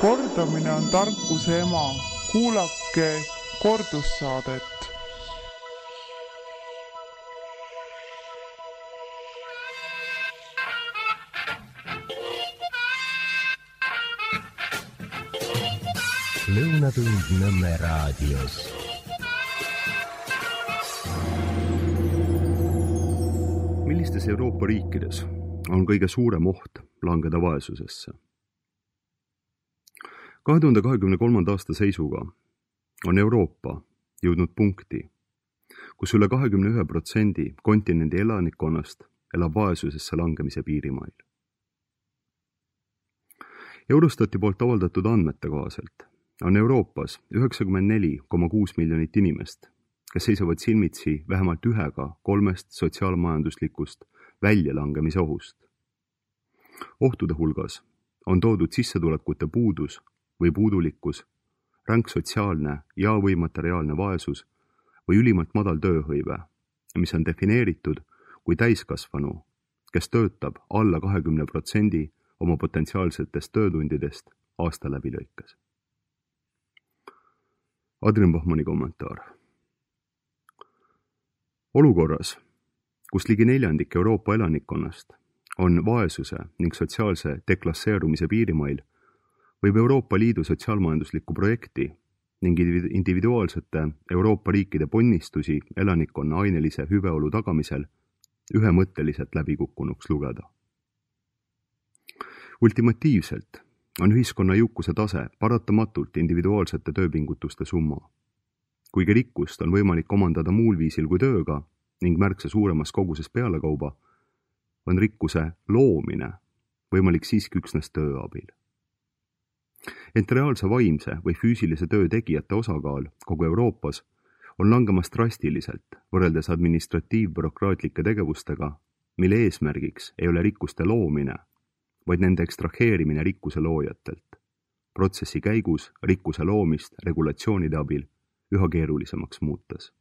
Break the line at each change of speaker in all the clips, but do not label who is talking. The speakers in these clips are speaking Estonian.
Kordamine on tarkuse ema. Kuulake kordussaadet.
Lõunatund Nõmme raadios. Millistes Euroopa riikides on kõige suurem oht langeda vaesusesse? 2023. aasta seisuga on Euroopa jõudnud punkti, kus üle 21% kontinendi elanikkonnast elab vaesusesse langemise piirimail. Eurostati poolt avaldatud andmete kohaselt on Euroopas 94,6 miljonit inimest, kes seisavad silmitsi vähemalt ühega 3 sotsiaalmajanduslikust väljalangemise ohust. Ohtude hulgas on toodud sissetulekute puudus või puudulikkus, ränk sotsiaalne ja või materiaalne vaesus või ülimalt madal tööhõive, mis on defineeritud kui täiskasvanu, kes töötab alla 20% oma potentsiaalsetest töötundidest aasta läbi lõikes. Adrian Bachmanni kommentaar. Olukorras, kus ligi 1/4 Euroopa elanikkonnast on vaesuse ning sotsiaalse deklasseerumise piirimail, võib Euroopa Liidu sotsiaalmajanduslikku projekti ning individuaalsete Euroopa riikide ponnistusi elanikkonna ainelise hüveolu tagamisel ühemõtteliselt läbikukkunuks lugeda. Ultimatiivselt on ühiskonna jõukuse tase paratamatult individuaalsete tööpingutuste summa. Kuigi rikkust on võimalik omandada muul viisil kui tööga ning märksa suuremas koguses pealekauba, on rikkuse loomine võimalik siiski üksnes töö abil. Ent reaalse vaimse või füüsilise töö tegijate osakaal kogu Euroopas on langemas drastiliselt võrreldes administratiivbürokraatlike tegevustega, mille eesmärgiks ei ole rikkuste loomine, vaid nende ekstraheerimine rikkuse loojatelt. Protsessi käigus rikkuse loomist regulatsioonide abil üha keerulisemaks muutes.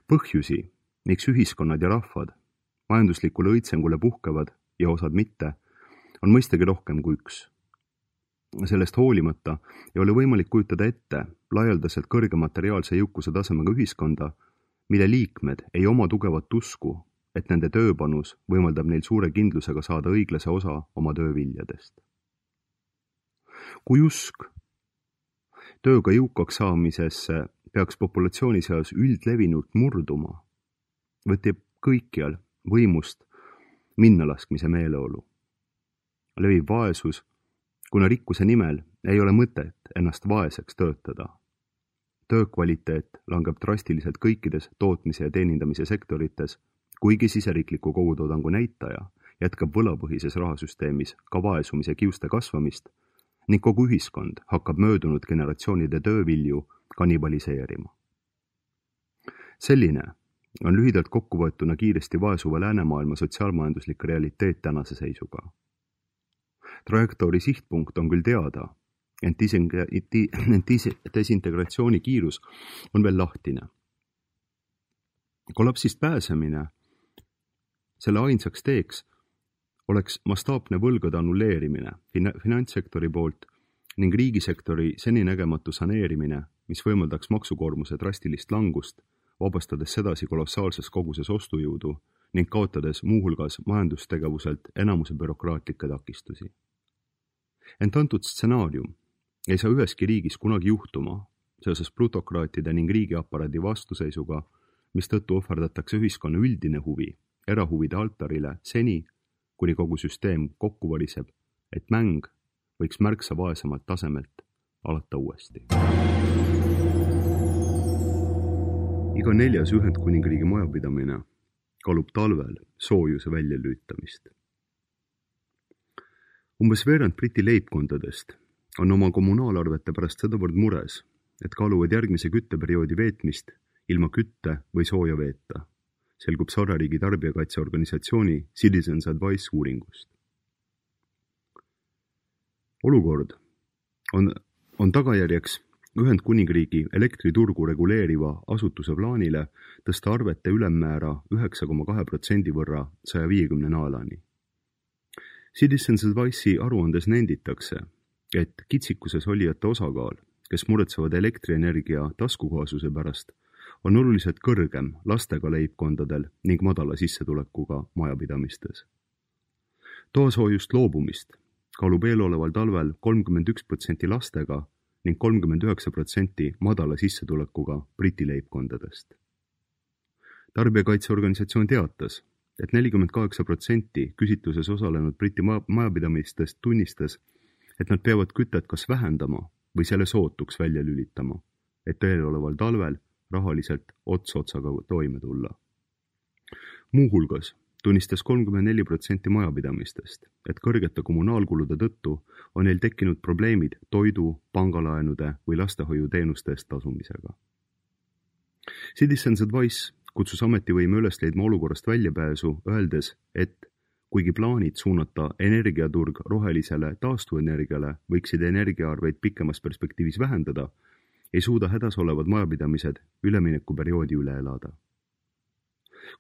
Põhjusi, miks ühiskonnad ja rahvad majanduslikule õitsengule puhkevad ja osad mitte, on mõistagi rohkem kui üks. Sellest hoolimata ei ole võimalik kujutada ette laialdaselt kõrge materiaalse jõukuse tasemega ühiskonda, mille liikmed ei oma tugevat usku, et nende tööpanus võimaldab neil suure kindlusega saada õiglase osa oma tööviljadest. Kui usk tööga jõukaks saamisesse peaks populatsiooni seas üldlevinult murduma, võtab kõikjal võimust minnalaskmise meeleolu. Levib vaesus, kuna rikkuse nimel ei ole mõtet ennast vaeseks töötada. Töökvaliteet langeb drastiliselt kõikides tootmise ja teenindamise sektorites, kuigi siseriikliku kogutoodangu näitaja jätkab võlapõhises rahasüsteemis ka vaesumise kiuste kasvamist ning kogu ühiskond hakkab möödunud generatsioonide töövilju kannibaliseerima. Selline on lühidalt kokkuvõetuna kiiresti vaesuva läänemaailma sotsiaalmajanduslik realiteet tänase seisuga. Trajektoori sihtpunkt on küll teada, ent desintegratsiooni kiirus on veel lahtine. Kollapsist pääsemine selle ainsaks teeks oleks mastaapne võlgade annulleerimine finantssektori poolt ning riigisektori seninägematu saneerimine, mis võimaldaks maksukoormuse drastilist langust, vabastades sedasi kolossaalses koguses ostujõudu ning kaotades muuhulgas majandustegevuselt enamuse bürokraatlikke takistusi. Ent antud stsenaarium ei saa üheski riigis kunagi juhtuma seoses plutokraatide ning riigiaparaadi vastuseisuga, mistõttu ohverdatakse ühiskonna üldine huvi erahuvide altarile seni, kuni kogu süsteem kokku variseb, et mäng võiks märksa vaesemalt tasemelt alata uuesti. Iga 4. Ühendkuningriigi majapidamine kaalub talvel soojuse väljalüütamist. Umbes veerand Briti leibkondadest on oma kommunaalarvete pärast sedavõrd mures, et kaaluvad järgmise kütteperioodi veetmist ilma kütte või sooja veeta, selgub Saareriigi tarbijakaitseorganisatsiooni Citizens Advice uuringust. Olukord on tagajärjeks Ühendkuningriigi elektriturgu reguleeriva asutuse plaanile tõsta arvete ülemmäära 9,2% võrra 150 naalani. Citizens Advice'i aruandes nenditakse, et kitsikuses olijate osakaal, kes muretsevad elektrienergia taskukohasuse pärast, on oluliselt kõrgem lastega leibkondadel ning madala sissetulekuga majapidamistes. Toasoojust loobumist kaalub eeloleval talvel 31% lastega ning 39% madala sissetulekuga Briti leibkondadest. Tarbijakaitseorganisatsioon teatas, et 48% küsitluses osalenud Briti majapidamistest tunnistas, et nad peavad kütet kas vähendama või selle sootuks välja lülitama, et eeloleval talvel rahaliselt ots otsaga toime tulla. Muuhulgas tunnistas 34% majapidamistest, et kõrgete kommunaalkulude tõttu on neil tekkinud probleemid toidu, pangalaenude või lastehoiuteenuste eest tasumisega. Citizens Advice kutsus ametivõime üles leidma olukorrast väljapääsu, öeldes, et kuigi plaanid suunata energiaturg rohelisele taastuenergiale võiksid energiaarveid pikemas perspektiivis vähendada, ei suuda hädas olevad majapidamised üleminekuperioodi üle elada.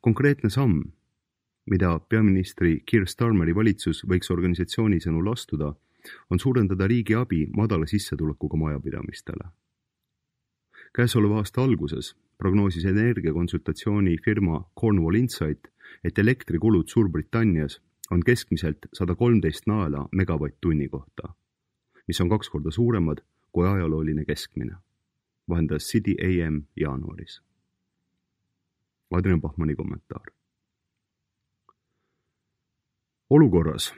Konkreetne samm, mida peaministri Keir Starmeri valitsus võiks organisatsiooni sõnul astuda, on suurendada riigi abi madala sissetulekuga majapidamistele. Käesoleva aasta alguses prognoosis energiakonsultatsiooni firma Cornwall Insight, et elektrikulud Suurbritannias on keskmiselt 113 naela megavatt-tunni kohta, mis on 2 korda suuremad kui ajalooline keskmine, vahendas City AM jaanuaris. Adrian Bachmanni kommentaar. Olukorras,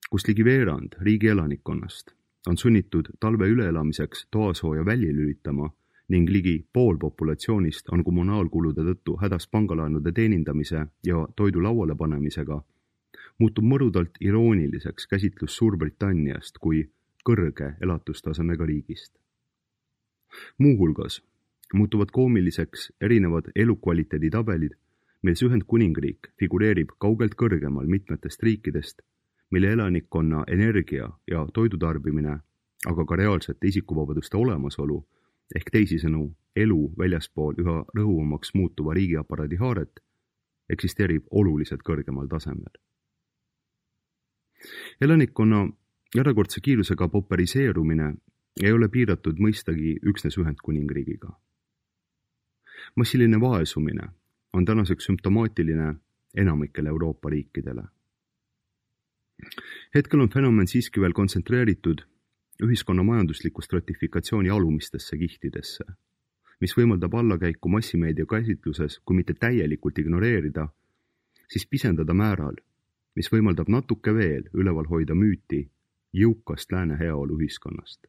kus ligi veerand riigi elanikkonnast on sunnitud talve üleelamiseks toasooja välja lülitama ning ligi pool populatsioonist on kommunaalkulude tõttu hädas pangalaenude teenindamise ja toidu lauale panemisega, muutub mõrudalt irooniliseks käsitlus Suurbritanniast kui kõrge elatustasemega riigist. Muuhulgas muutuvad koomiliseks erinevad elukvaliteedi tabelid, milles Ühendkuningriik figureerib kaugelt kõrgemal mitmetest riikidest, mille elanikkonna energia- ja toidutarbimine, aga ka reaalsete isikuvabaduste olemasolu, ehk teisisõnu elu väljaspool üha rõhuvamaks muutuva riigiaparaadi haaret, eksisteerib oluliselt kõrgemal tasemel. Elanikkonna erakordse kiirusega poperiseerumine ei ole piiratud mõistagi üksnes Ühendkuningriigiga. Massiline vaesumine on tänaseks sümptomaatiline enamikele Euroopa riikidele. Hetkel on fenomen siiski veel kontsentreeritud ühiskonna majandusliku stratifikatsiooni alumistesse kihtidesse, mis võimaldab allakäiku massimeedia käsitluses, kui mitte täielikult ignoreerida, siis pisendada määral, mis võimaldab natuke veel üleval hoida müüti jõukast lääne heaolu ühiskonnast.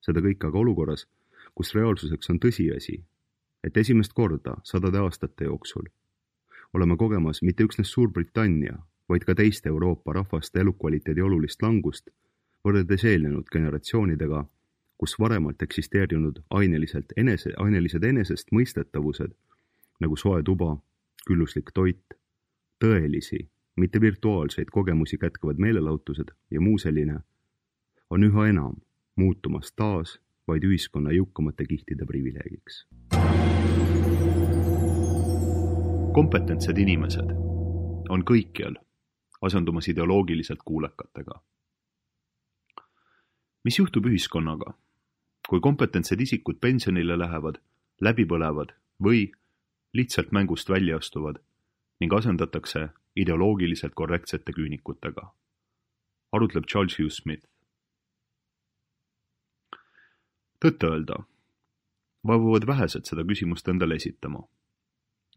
Seda kõik aga olukorras, kus reaalsuseks on tõsiasi, et esimest korda 100 aastate jooksul oleme kogemas mitte üksnes Suurbritannia, vaid ka teiste Euroopa rahvaste elukvaliteedi olulist langust võrreldes eelnenud generatsioonidega, kus varemalt eksisteerinud ainelised enesest mõistetavused, nagu soe tuba, külluslik toit, tõelisi, mitte virtuaalseid kogemusi kätkevad meelelahutused ja muu selline, on üha enam muutumas taas vaid ühiskonna jõukamate kihtide privileegiks. Kompetentsed inimesed on kõikjal asendumas ideoloogiliselt kuulekatega. Mis juhtub ühiskonnaga, kui kompetentsed isikud pensionile lähevad, läbi põlevad või lihtsalt mängust välja astuvad ning asendatakse ideoloogiliselt korrektsete küünikutega? Arutleb Charles Hugh Smith. Tõtt öelda, vaevuvad vähesed seda küsimust endale esitama,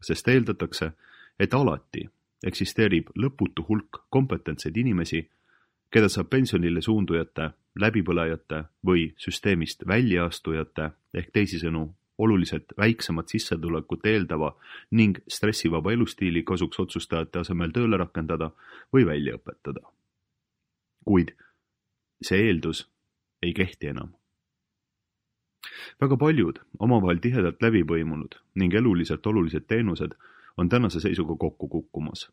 sest eeldatakse, et alati eksisteerib lõputu hulk kompetentseid inimesi, keda saab pensionile suundujate, läbipõlejate või süsteemist väljaastujate ehk teisisõnu oluliselt väiksemat sissetulekut eeldava ning stressivaba elustiili kasuks otsustajate asemel tööle rakendada või välja õpetada. Kuid see eeldus ei kehti enam. Väga paljud omavahel tihedalt läbi põimunud ning eluliselt olulised teenused on tänase seisuga kokku kukkumas,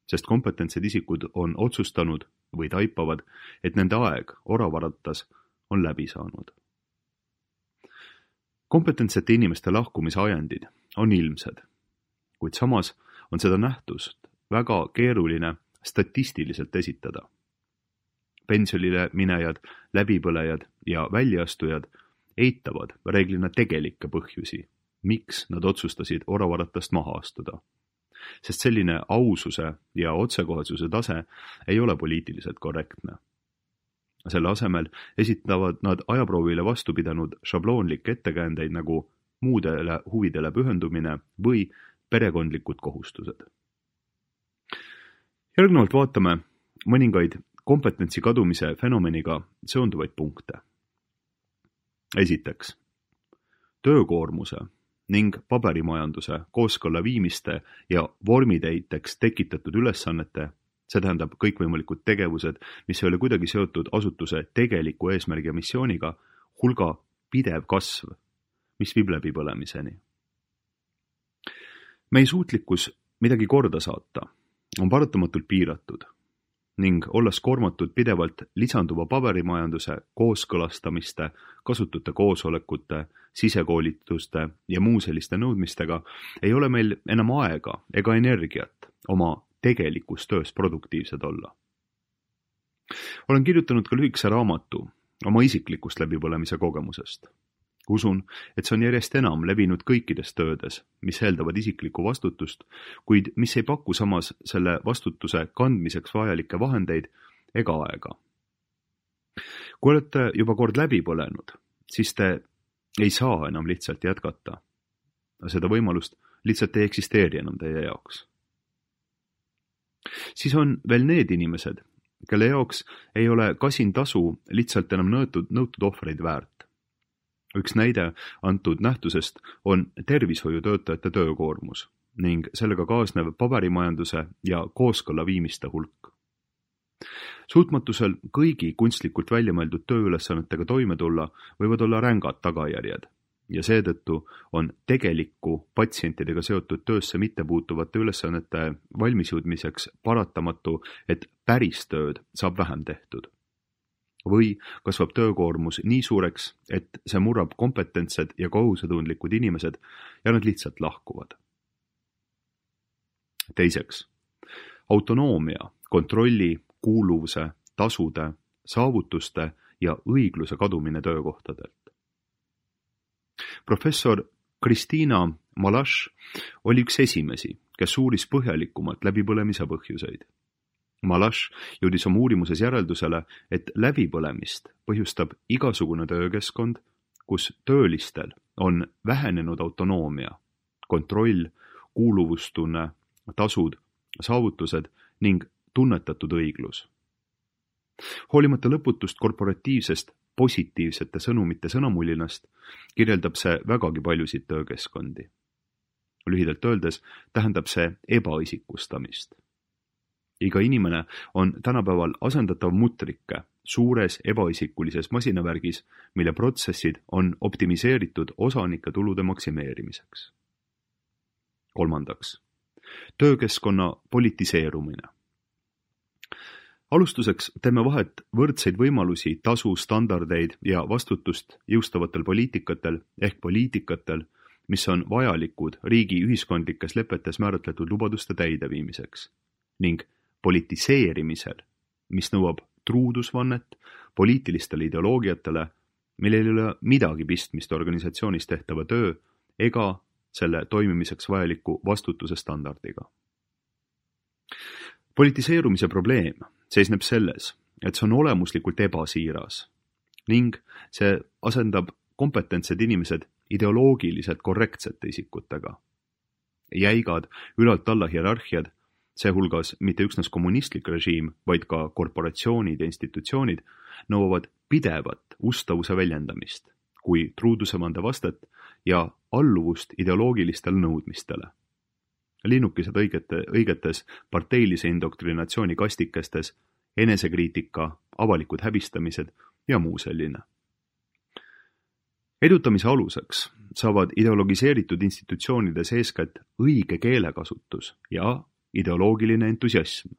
sest kompetentsed isikud on otsustanud või taipavad, et nende aeg oravaratas on läbi saanud. Kompetentsete inimeste lahkumise ajendid on ilmsed, kuid samas on seda nähtust väga keeruline statistiliselt esitada. pensionile minejad, läbipõlejad ja väljaastujad eitavad reeglina tegelikke põhjusi, miks nad otsustasid oravaratast maha astuda. Sest selline aususe ja otsekohesuse tase ei ole poliitiliselt korrektne. Selle asemel esitavad nad ajaproovile vastu pidanud šabloonlikke ettekäändeid nagu muudele huvidele pühendumine või perekondlikud kohustused. Järgnevalt vaatame mõningaid kompetentsi kadumise fenomeniga seonduvaid punkte. Esiteks, töökoormuse ning paberimajanduse kooskõlla viimiste ja vormitäiteks tekitatud ülesannete, see tähendab kõikvõimalikud tegevused, mis ei ole kuidagi seotud asutuse tegeliku eesmärgi ja missiooniga, hulga pidev kasv, mis viib läbipõlemiseni. Meie suutlikkus midagi korda saata on paratamatult piiratud ning olles koormatud pidevalt lisanduva paberimajanduse kooskõlastamiste, kasutute koosolekute, sisekoolituste ja muu selliste nõudmistega, ei ole meil enam aega ega energiat oma tegelikus töös produktiivsed olla. Olen kirjutanud ka lühikese raamatu oma isiklikust läbipõlemise kogemusest. Usun, et see on järjest enam levinud kõikides töödes, mis eeldavad isiklikku vastutust, kuid mis ei paku samas selle vastutuse kandmiseks vajalikke vahendeid ega aega. Kui olete juba kord läbi põlenud, siis te ei saa enam lihtsalt jätkata. Seda võimalust lihtsalt ei eksisteeri enam teie jaoks. Siis on veel need inimesed, kelle jaoks ei ole kasin tasu lihtsalt enam nõutud ohvreid väärt. Üks näide antud nähtusest on tervishoiutöötajate töökoormus ning sellega kaasnev paberimajanduse ja kooskõlla viimiste hulk. Suutmatusel kõigi kunstlikult väljamõeldud tööülesannetega toime tulla võivad olla rängad tagajärjed ja seetõttu on tegelikku patsientidega seotud töösse mittepuutuvate ülesannete valmisjõudmiseks paratamatu, et päris tööd saab vähem tehtud. Või kasvab töökoormus nii suureks, et see murrab kompetentsed ja kohusetundlikud inimesed ja nad lihtsalt lahkuvad. Teiseks, autonoomia, kontrolli, kuuluvuse, tasude, saavutuste ja õigluse kadumine töökohtadelt. Professor Kristina Malaš oli üks esimesi, kes uuris põhjalikumalt läbipõlemise põhjuseid. Malaš jõudis oma uurimuses järeldusele, et läbipõlemist põhjustab igasugune töökeskkond, kus töölistel on vähenenud autonoomia, kontroll, kuuluvustunne, tasud, saavutused ning tunnetatud õiglus. Hoolimata lõputust korporatiivsest positiivsete sõnumite sõnamullinast kirjeldab see vägagi paljusid töökeskkondi. Lühidalt öeldes tähendab see ebaisikustamist. Iga inimene on tänapäeval asendatav mutrike suures ebaisikulises masinavärgis, mille protsessid on optimiseeritud osanike tulude maksimeerimiseks. Kolmandaks, töökeskkonna politiseerumine. Alustuseks teeme vahet võrdseid võimalusi, tasu, standardeid ja vastutust jõustavatel poliitikatel ehk poliitikatel, mis on vajalikud riigi ühiskondlikes lepetes määratletud lubaduste täideviimiseks ning politiseerimisel, mis nõuab truudusvannet poliitilistele ideoloogiatele, millel ei ole midagi pistmist organisatsioonis tehtava töö ega selle toimimiseks vajaliku vastutuse standardiga. Politiseerumise probleem seisneb selles, et see on olemuslikult ebasiiras ning see asendab kompetentsed inimesed ideoloogiliselt korrektsete isikutega. Jäigad ülalt alla hierarhiad, seehulgas mitte üksnes kommunistlik režiim, vaid ka korporatsioonid ja institutsioonid nõuavad pidevat ustavuse väljendamist kui truudusevande vastet ja alluvust ideoloogilistele nõudmistele. Linnukesed õigetes parteilise indoktrinatsiooni kastikestes, enesekriitika, avalikud häbistamised ja muu selline. Edutamise aluseks saavad ideologiseeritud institutsioonides eeskätt õige keelekasutus ja ideoloogiline entusiasm,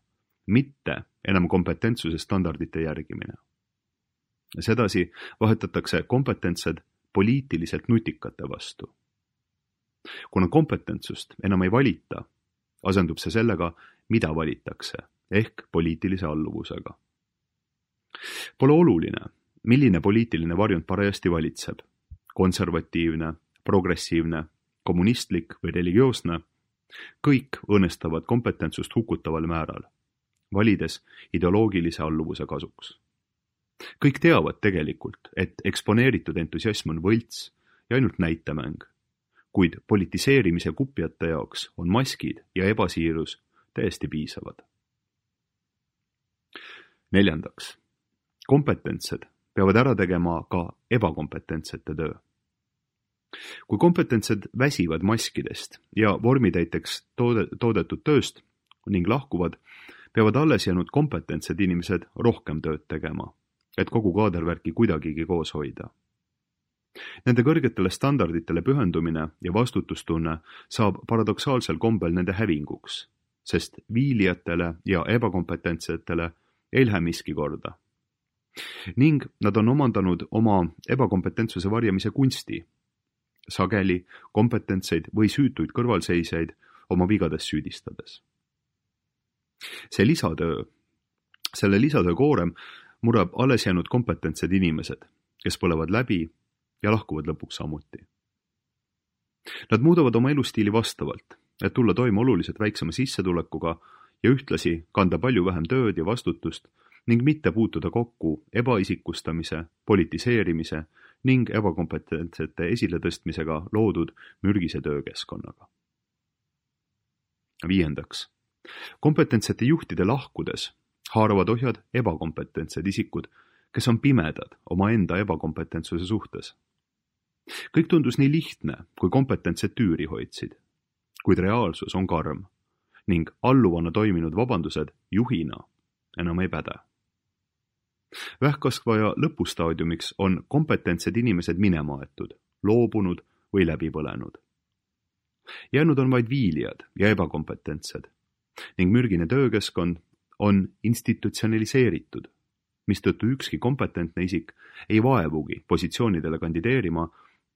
mitte enam kompetentsuse standardite järgimine. Sedasi vahetatakse kompetentsed poliitiliselt nutikate vastu. Kuna kompetentsust enam ei valita, asendub see sellega, mida valitakse, ehk poliitilise alluvusega. Pole oluline, milline poliitiline varjund parajasti valitseb. Konservatiivne, progressiivne, kommunistlik või religioosne. Kõik õõnestavad kompetentsust hukutaval määral, valides ideoloogilise alluvuse kasuks. Kõik teavad tegelikult, et eksponeeritud entusiasm on võlts ja ainult näitemäng, kuid politiseerimise kupjate jaoks on maskid ja ebasiirus täiesti piisavad. 4. Kompetentsed peavad ära tegema ka ebakompetentsete töö. Kui kompetentsed väsivad maskidest ja vormitäiteks toodetud tööst ning lahkuvad, peavad alles jäänud kompetentsed inimesed rohkem tööd tegema, et kogu kaadervärki kuidagigi koos hoida. Nende kõrgetele standarditele pühendumine ja vastutustunne saab paradoksaalsel kombel nende hävinguks, sest viilijatele ja ebakompetentsetele ei lähe miski korda. Ning nad on omandanud oma ebakompetentsuse varjamise kunsti, sageli kompetentseid või süütuid kõrvalseiseid oma vigades süüdistades. Selle lisatöö koorem murrab alles jäänud kompetentsed inimesed, kes põlevad läbi ja lahkuvad lõpuks samuti. Nad muudavad oma elustiili vastavalt, et tulla toime oluliselt väiksema sissetulekuga ja ühtlasi kanda palju vähem tööd ja vastutust ning mitte puutuda kokku ebaisikustamise, politiseerimise ning ebakompetentsete esiletõstmisega loodud mürgise töökeskkonnaga. 5. Kompetentsete juhtide lahkudes haaravad ohjad ebakompetentsed isikud, kes on pimedad omaenda ebakompetentsuse suhtes. Kõik tundus nii lihtne, kui kompetentsed tüüri hoidsid, kuid reaalsus on karm ning alluvana toiminud vabandused juhina enam ei päde. Vähkkasvaja lõpustaadiumiks on kompetentsed inimesed minema aetud, loobunud või läbi põlenud. Jäänud on vaid viilijad ja ebakompetentsed ning mürgine töökeskkond on institutsionaliseeritud, mistõttu ükski kompetentne isik ei vaevugi positsioonidele kandideerima,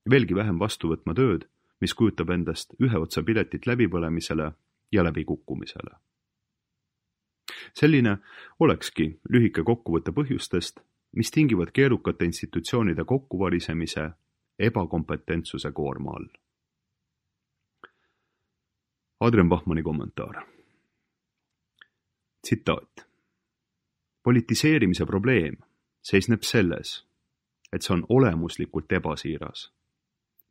veelgi vähem vastu võtma tööd, mis kujutab endast ühe otsa piletit läbipõlemisele ja läbikukkumisele. Selline olekski lühike kokkuvõtte põhjustest, mis tingivad keerukate institutsioonide kokkuvarisemise ebakompetentsuse koorma all. Adrian Bachmanni kommentaar. Tsitaat. Politiseerimise probleem seisneb selles, et see on olemuslikult ebasiiras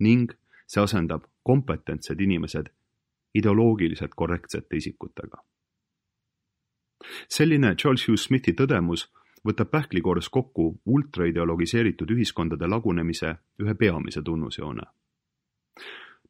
ning see asendab kompetentsed inimesed ideoloogiliselt korrektsete isikutega. Selline Charles Hugh Smithi tõdemus võtab pähklikoores kokku ultraideologiseeritud ühiskondade lagunemise ühe peamise tunnusjoone.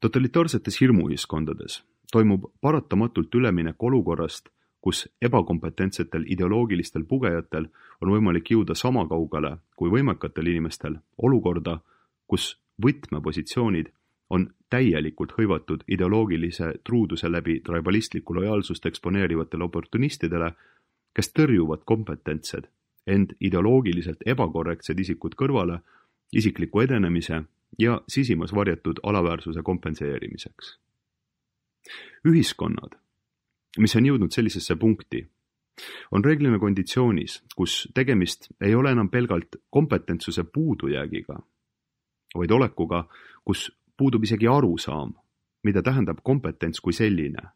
Totalitaarsetes hirmuühiskondades toimub paratamatult üleminek olukorrast, kus ebakompetentsetel ideoloogilistel pugejatel on võimalik jõuda sama kaugele kui võimekatel inimestel olukorda, kus võtmepositsioonid on täielikult hõivatud ideoloogilise truuduse läbi tribalistikku lojaalsust eksponeerivatele oportunistidele, kes tõrjuvad kompetentsed, ent ideoloogiliselt ebakorrektsed isikud kõrvale isikliku edenemise ja sisimas varjatud alaväärsuse kompenseerimiseks. Ühiskonnad, mis on jõudnud sellisesse punkti, on reeglina konditsioonis, kus tegemist ei ole enam pelgalt kompetentsuse puudujäägiga, vaid olekuga, kus puudub isegi arusaam, mida tähendab kompetents kui selline,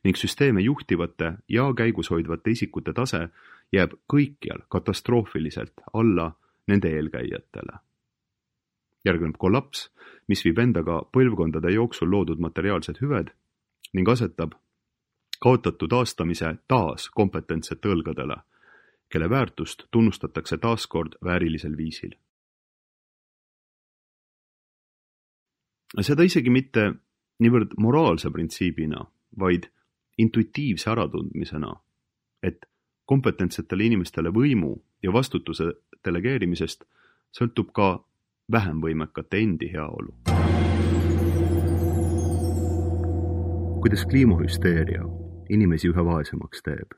ning süsteeme juhtivate ja käigus hoidvate isikute tase jääb kõikjal katastroofiliselt alla nende eelkäijatele. Järgneb kollaps, mis viib endaga põlvkondade jooksul loodud materiaalsed hüved ning asetab kaotatud aastamise taas kompetentsete õlgadele, kelle väärtust tunnustatakse taaskord väärilisel viisil. Seda isegi mitte niivõrd moraalse printsiibina, vaid intuitiivse äratundmisena, et kompetentsetele inimestele võimu ja vastutuse delegeerimisest sõltub ka vähem võimekate endi heaolu. Kuidas kliimahüsteeria inimesi üha vaesemaks teeb?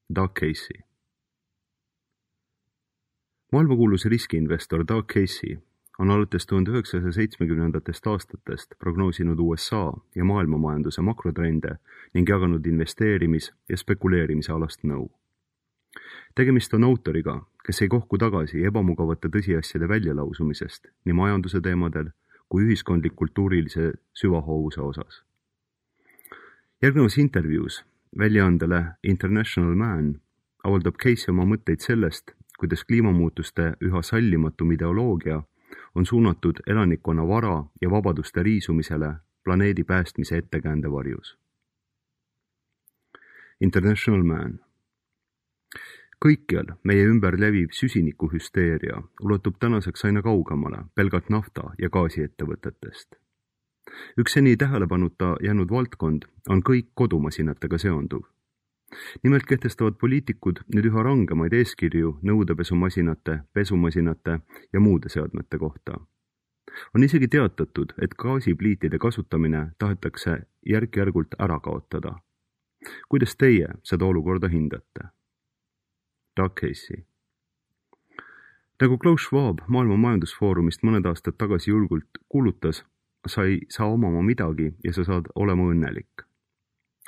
Doug Casey. Maailmakuulus riskiinvestor Doug Casey on alates 1970. aastatest prognoosinud USA ja maailmamajanduse makrotrende ning jaganud investeerimis- ja spekuleerimise alast nõu. Tegemist on autoriga, kes ei kohku tagasi ebamugavate tõsiasjade väljalausumisest nii majanduse teemadel kui ühiskondlik-kultuurilise süvahoovuse osas. Järgnevas intervjuus väljaandele International Man avaldab Casey oma mõtteid sellest, kuidas kliimamuutuste üha sallimatum ideoloogia on suunatud elanikkonna vara ja vabaduste riisumisele planeedi päästmise ettekäände varjus. International Man. Kõikjal meie ümber leviv süsinikuhüsteeria ulatub tänaseks aina kaugemale pelgalt nafta- ja gaasiettevõtetest. Üks seni tähelepanuta jäänud valdkond on kõik kodumasinatega seonduv. Nimelt kehtestavad poliitikud nüüd üha rangemaid eeskirju nõudepesumasinate, pesumasinate ja muude seadmete kohta. On isegi teatatud, et gaasipliitide kasutamine tahetakse järk-järgult ära kaotada. Kuidas teie seda olukorda hindate? Doug Casey. Nagu Klaus Schwab Maailma Majandusfoorumist mõned aastad tagasi julgult kuulutas, sa ei saa omama midagi ja sa saad olema õnnelik.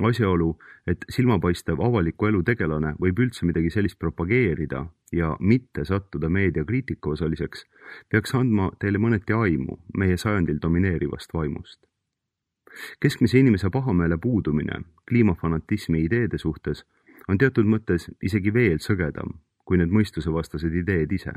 Asjaolu, et silmapaistev avaliku elu tegelane võib üldse midagi sellist propageerida ja mitte sattuda meediakriitika osaliseks, peaks andma teile mõneti aimu meie sajandil domineerivast vaimust. Keskmise inimese pahameele puudumine kliimafanatismi ideede suhtes on teatud mõttes isegi veel sõgedam kui need mõistusevastased ideed ise.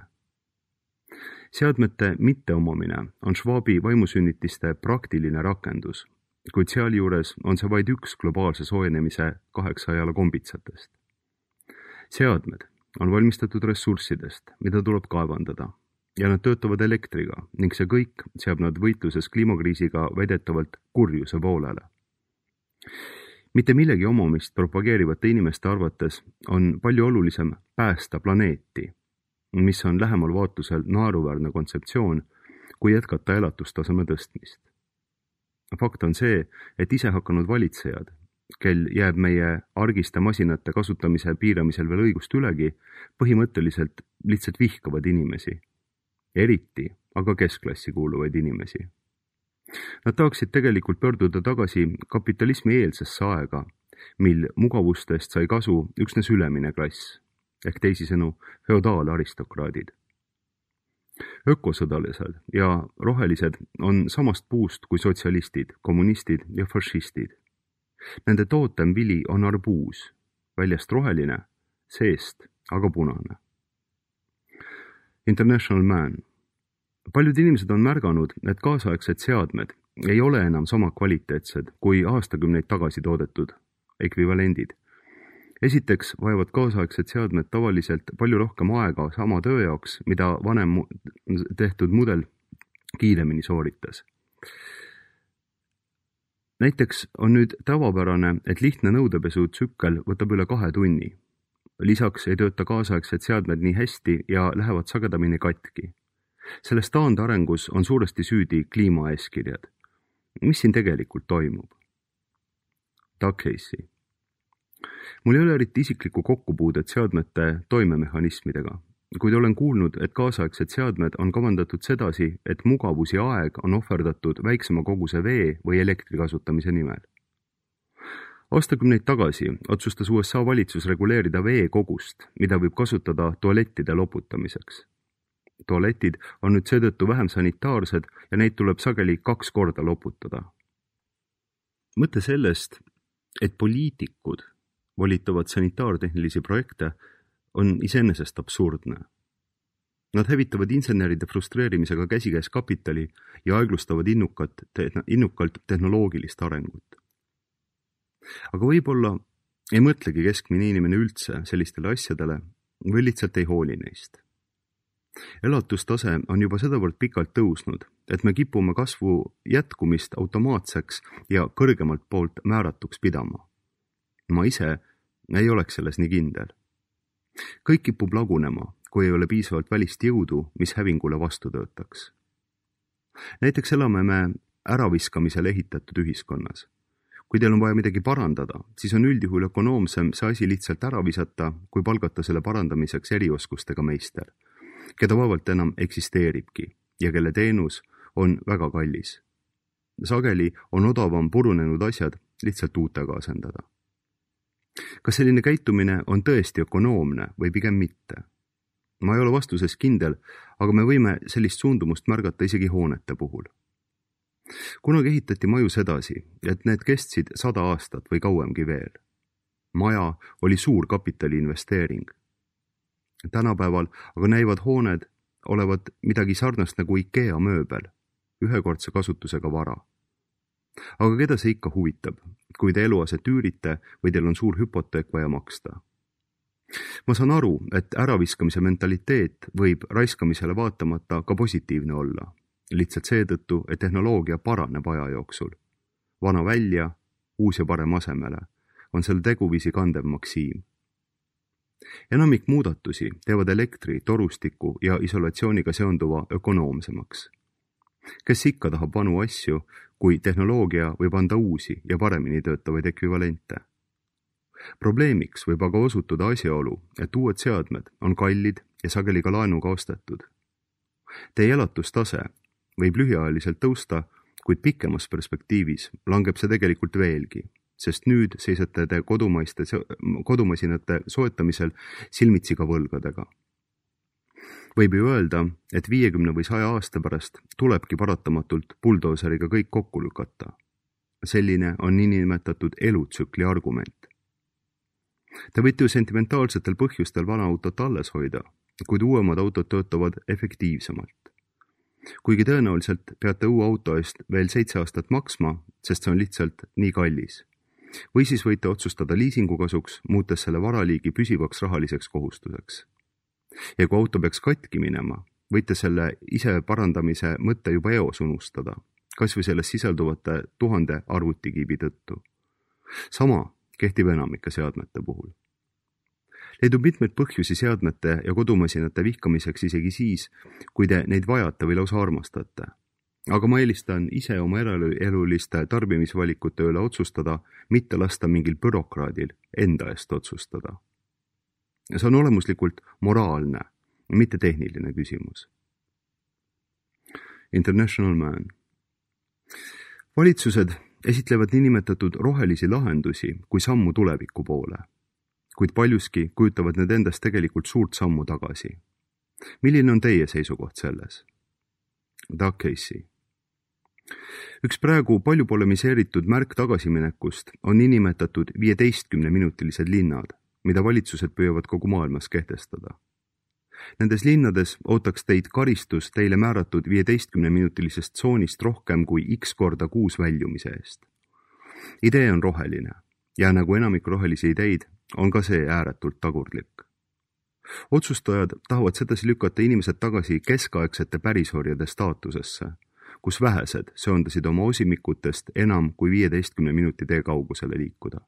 Seadmete mitteomamine on Schwabi vaimusünnitiste praktiline rakendus, kuid sealjuures on see vaid üks globaalse soojenemise 8 jala kombitsatest. Seadmed on valmistatud ressurssidest, mida tuleb kaevandada, ja nad töötavad elektriga ning see kõik seab nad võitluses kliimakriisiga väidetavalt kurjuse poolele. Mitte millegi omamist propageerivate inimeste arvates on palju olulisem päästa planeeti, mis on lähemal vaatlusel naeruväärne kontseptsioon, kui jätkata elatustaseme tõstmist. Fakt on see, et ise hakanud valitsejad, kel jääb meie argiste masinate kasutamise piiramisel veel õigust ülegi, põhimõtteliselt lihtsalt vihkavad inimesi, eriti aga keskklassi kuuluvaid inimesi. Nad tahaksid tegelikult pöörduda tagasi kapitalismi eelsesse aega, mil mugavustest sai kasu üksnes ülemine klass, ehk teisisõnu feodaalaristokraadid. Ökosõdalised ja rohelised on samast puust kui sotsialistid, kommunistid ja fašistid. Nende tootemvili on arbuus, väljast roheline, seest aga punane. International Man. Paljud inimesed on märganud, et kaasaegsed seadmed ei ole enam sama kvaliteetsed kui aastakümneid tagasi toodetud ekvivalendid. Esiteks vajavad kaasaegsed seadmed tavaliselt palju rohkem aega sama töö jaoks, mida vanem tehtud mudel kiiremini sooritas. Näiteks on nüüd tavapärane, et lihtne nõudepesu tsükkel võtab üle 2 tunni. Lisaks ei tööta kaasaegsed seadmed nii hästi ja lähevad sagedamini katki. Selles taandarengus on suuresti süüdi kliimaeeskirjad. Mis siin tegelikult toimub? Doug Casey. Mul ei ole eriti isiklikku kokkupuudet seadmete toimemehhanismidega, kuid olen kuulnud, et kaasaegsed seadmed on kavandatud sedasi, et mugavus ja aeg on ohverdatud väiksema koguse vee või elektri kasutamise nimel. Aastakümneid tagasi otsustas USA valitsus reguleerida vee kogust, mida võib kasutada tualettide loputamiseks. Tualetid on nüüd seetõttu vähem sanitaarsed ja neid tuleb sageli 2 korda loputada. Mõte sellest, et poliitikud volitavad sanitaartehnilisi projekte, on iseenesest absurdne. Nad hävitavad inseneride frustreerimisega käsikäes kapitali ja aeglustavad innukalt tehnoloogilist arengut. Aga võib-olla ei mõtlegi keskmine inimene üldse sellistele asjadele või lihtsalt ei hooli neist. Elatustase on juba sedavõrd pikalt tõusnud, et me kipume kasvu jätkumist automaatseks ja kõrgemalt poolt määratuks pidama. Ma ise ei oleks selles nii kindel. Kõik kipub lagunema, kui ei ole piisavalt välist jõudu, mis hävingule vastu töötaks. Näiteks elame me äraviskamisele ehitatud ühiskonnas. Kui teil on vaja midagi parandada, siis on üldjuhul ökonoomsem see asi lihtsalt ära visata, kui palgata selle parandamiseks erioskustega meister, keda vaevalt enam eksisteeribki ja kelle teenus on väga kallis. Sageli on odavam purunenud asjad lihtsalt uutega asendada. Kas selline käitumine on tõesti ökonoomne või pigem mitte? Ma ei ole vastuses kindel, aga me võime sellist suundumust märgata isegi hoonete puhul. Kunagi ehitati maju sedasi, et need kestsid 100 aastat või kauemgi veel. Maja oli suur kapitali investeering. Tänapäeval aga näivad hooned olevat midagi sarnast nagu IKEA mööbel, ühekordse kasutusega vara. Aga keda see ikka huvitab, kui te eluaset üürite või teil on suur hüpoteek vaja maksta? Ma saan aru, et äraviskamise mentaliteet võib raiskamisele vaatamata ka positiivne olla, lihtsalt seetõttu, et tehnoloogia paraneb aja jooksul. Vana välja, uus ja parem asemele on selle teguviisi kandev maksiim. Enamik muudatusi teevad elektri, torustiku ja isolatsiooniga seonduva ökonoomsemaks. Kes ikka tahab vanu asju, kui tehnoloogia võib anda uusi ja paremini töötavaid ekvivalente? Probleemiks võib aga osutuda asjaolu, et uued seadmed on kallid ja sageli ka laenuga ostetud. Teie elatustase võib lühiajaliselt tõusta, kuid pikemas perspektiivis langeb see tegelikult veelgi, sest nüüd seisate te kodumasinate soetamisel silmitsi ka võlgadega. Võib ju öelda, et 50 või 100 aasta pärast tulebki paratamatult buldooseriga kõik kokku lükata. Selline on niinimetatud elutsükli argument. Te võite ju sentimentaalsetel põhjustel vana autot alles hoida, kuid uuemad autod töötavad efektiivsemalt. Kuigi tõenäoliselt peate uue auto eest veel 7 aastat maksma, sest see on lihtsalt nii kallis. Või siis võite otsustada liisingu kasuks, muutes selle varaliigi püsivaks rahaliseks kohustuseks. Ja kui auto peaks katki minema, võite selle ise parandamise mõtte juba eos unustada, kas või selles sisalduvate 1000 arvutikiibi tõttu. Sama kehtib enamike seadmete puhul. Leidub mitmeid põhjusi seadmete ja kodumasinate vihkamiseks isegi siis, kui te neid vajate või lausa armastate. Aga ma eelistan ise oma eraeluliste tarbimisvalikute üle otsustada, mitte lasta mingil bürokraadil enda eest otsustada. See on olemuslikult moraalne, mitte tehniline küsimus. International Man. Valitsused esitlevad niinimetatud rohelisi lahendusi kui sammu tuleviku poole, kuid paljuski kujutavad need endast tegelikult suurt sammu tagasi. Milline on teie seisukoht selles? Doug Casey. Üks praegu palju polemiseeritud märk tagasiminekust on niinimetatud 15-minutilised linnad, mida valitsused püüavad kogu maailmas kehtestada. Nendes linnades ootaks teid karistus teile määratud 15-minutilisest tsoonist rohkem kui X korda 6 väljumise eest. Idee on roheline ja nagu enamik rohelisi ideid on ka see ääretult tagurdlik. Otsustajad tahavad sedasi lükata inimesed tagasi keskaegsete pärisorjade staatusesse, kus vähesed sööndasid oma osimikutest enam kui 15 minuti tee kaugusele liikuda.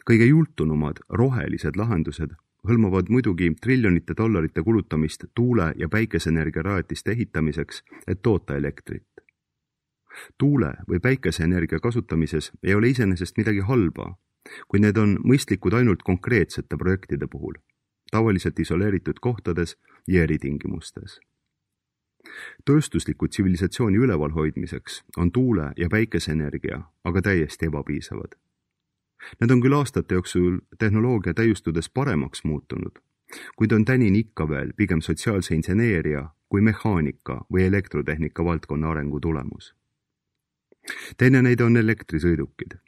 Kõige jultunumad rohelised lahendused hõlmavad muidugi triljonite dollarite kulutamist tuule- ja päikeseenergia rajatiste ehitamiseks, et toota elektrit. Tuule- või päikeseenergia kasutamises ei ole iseenesest midagi halba, kui need on mõistlikud ainult konkreetsete projektide puhul, tavaliselt isoleeritud kohtades ja eritingimustes. Tööstusliku tsivilisatsiooni ülevalhoidmiseks on tuule- ja päikeseenergia aga täiesti ebapiisavad. Need on küll aastate jooksul tehnoloogia täiustudes paremaks muutunud, kuid on tänini ikka veel pigem sotsiaalse inseneeria kui mehaanika või elektrotehnika valdkonna arengu tulemus. Teine näide on elektrisõidukid.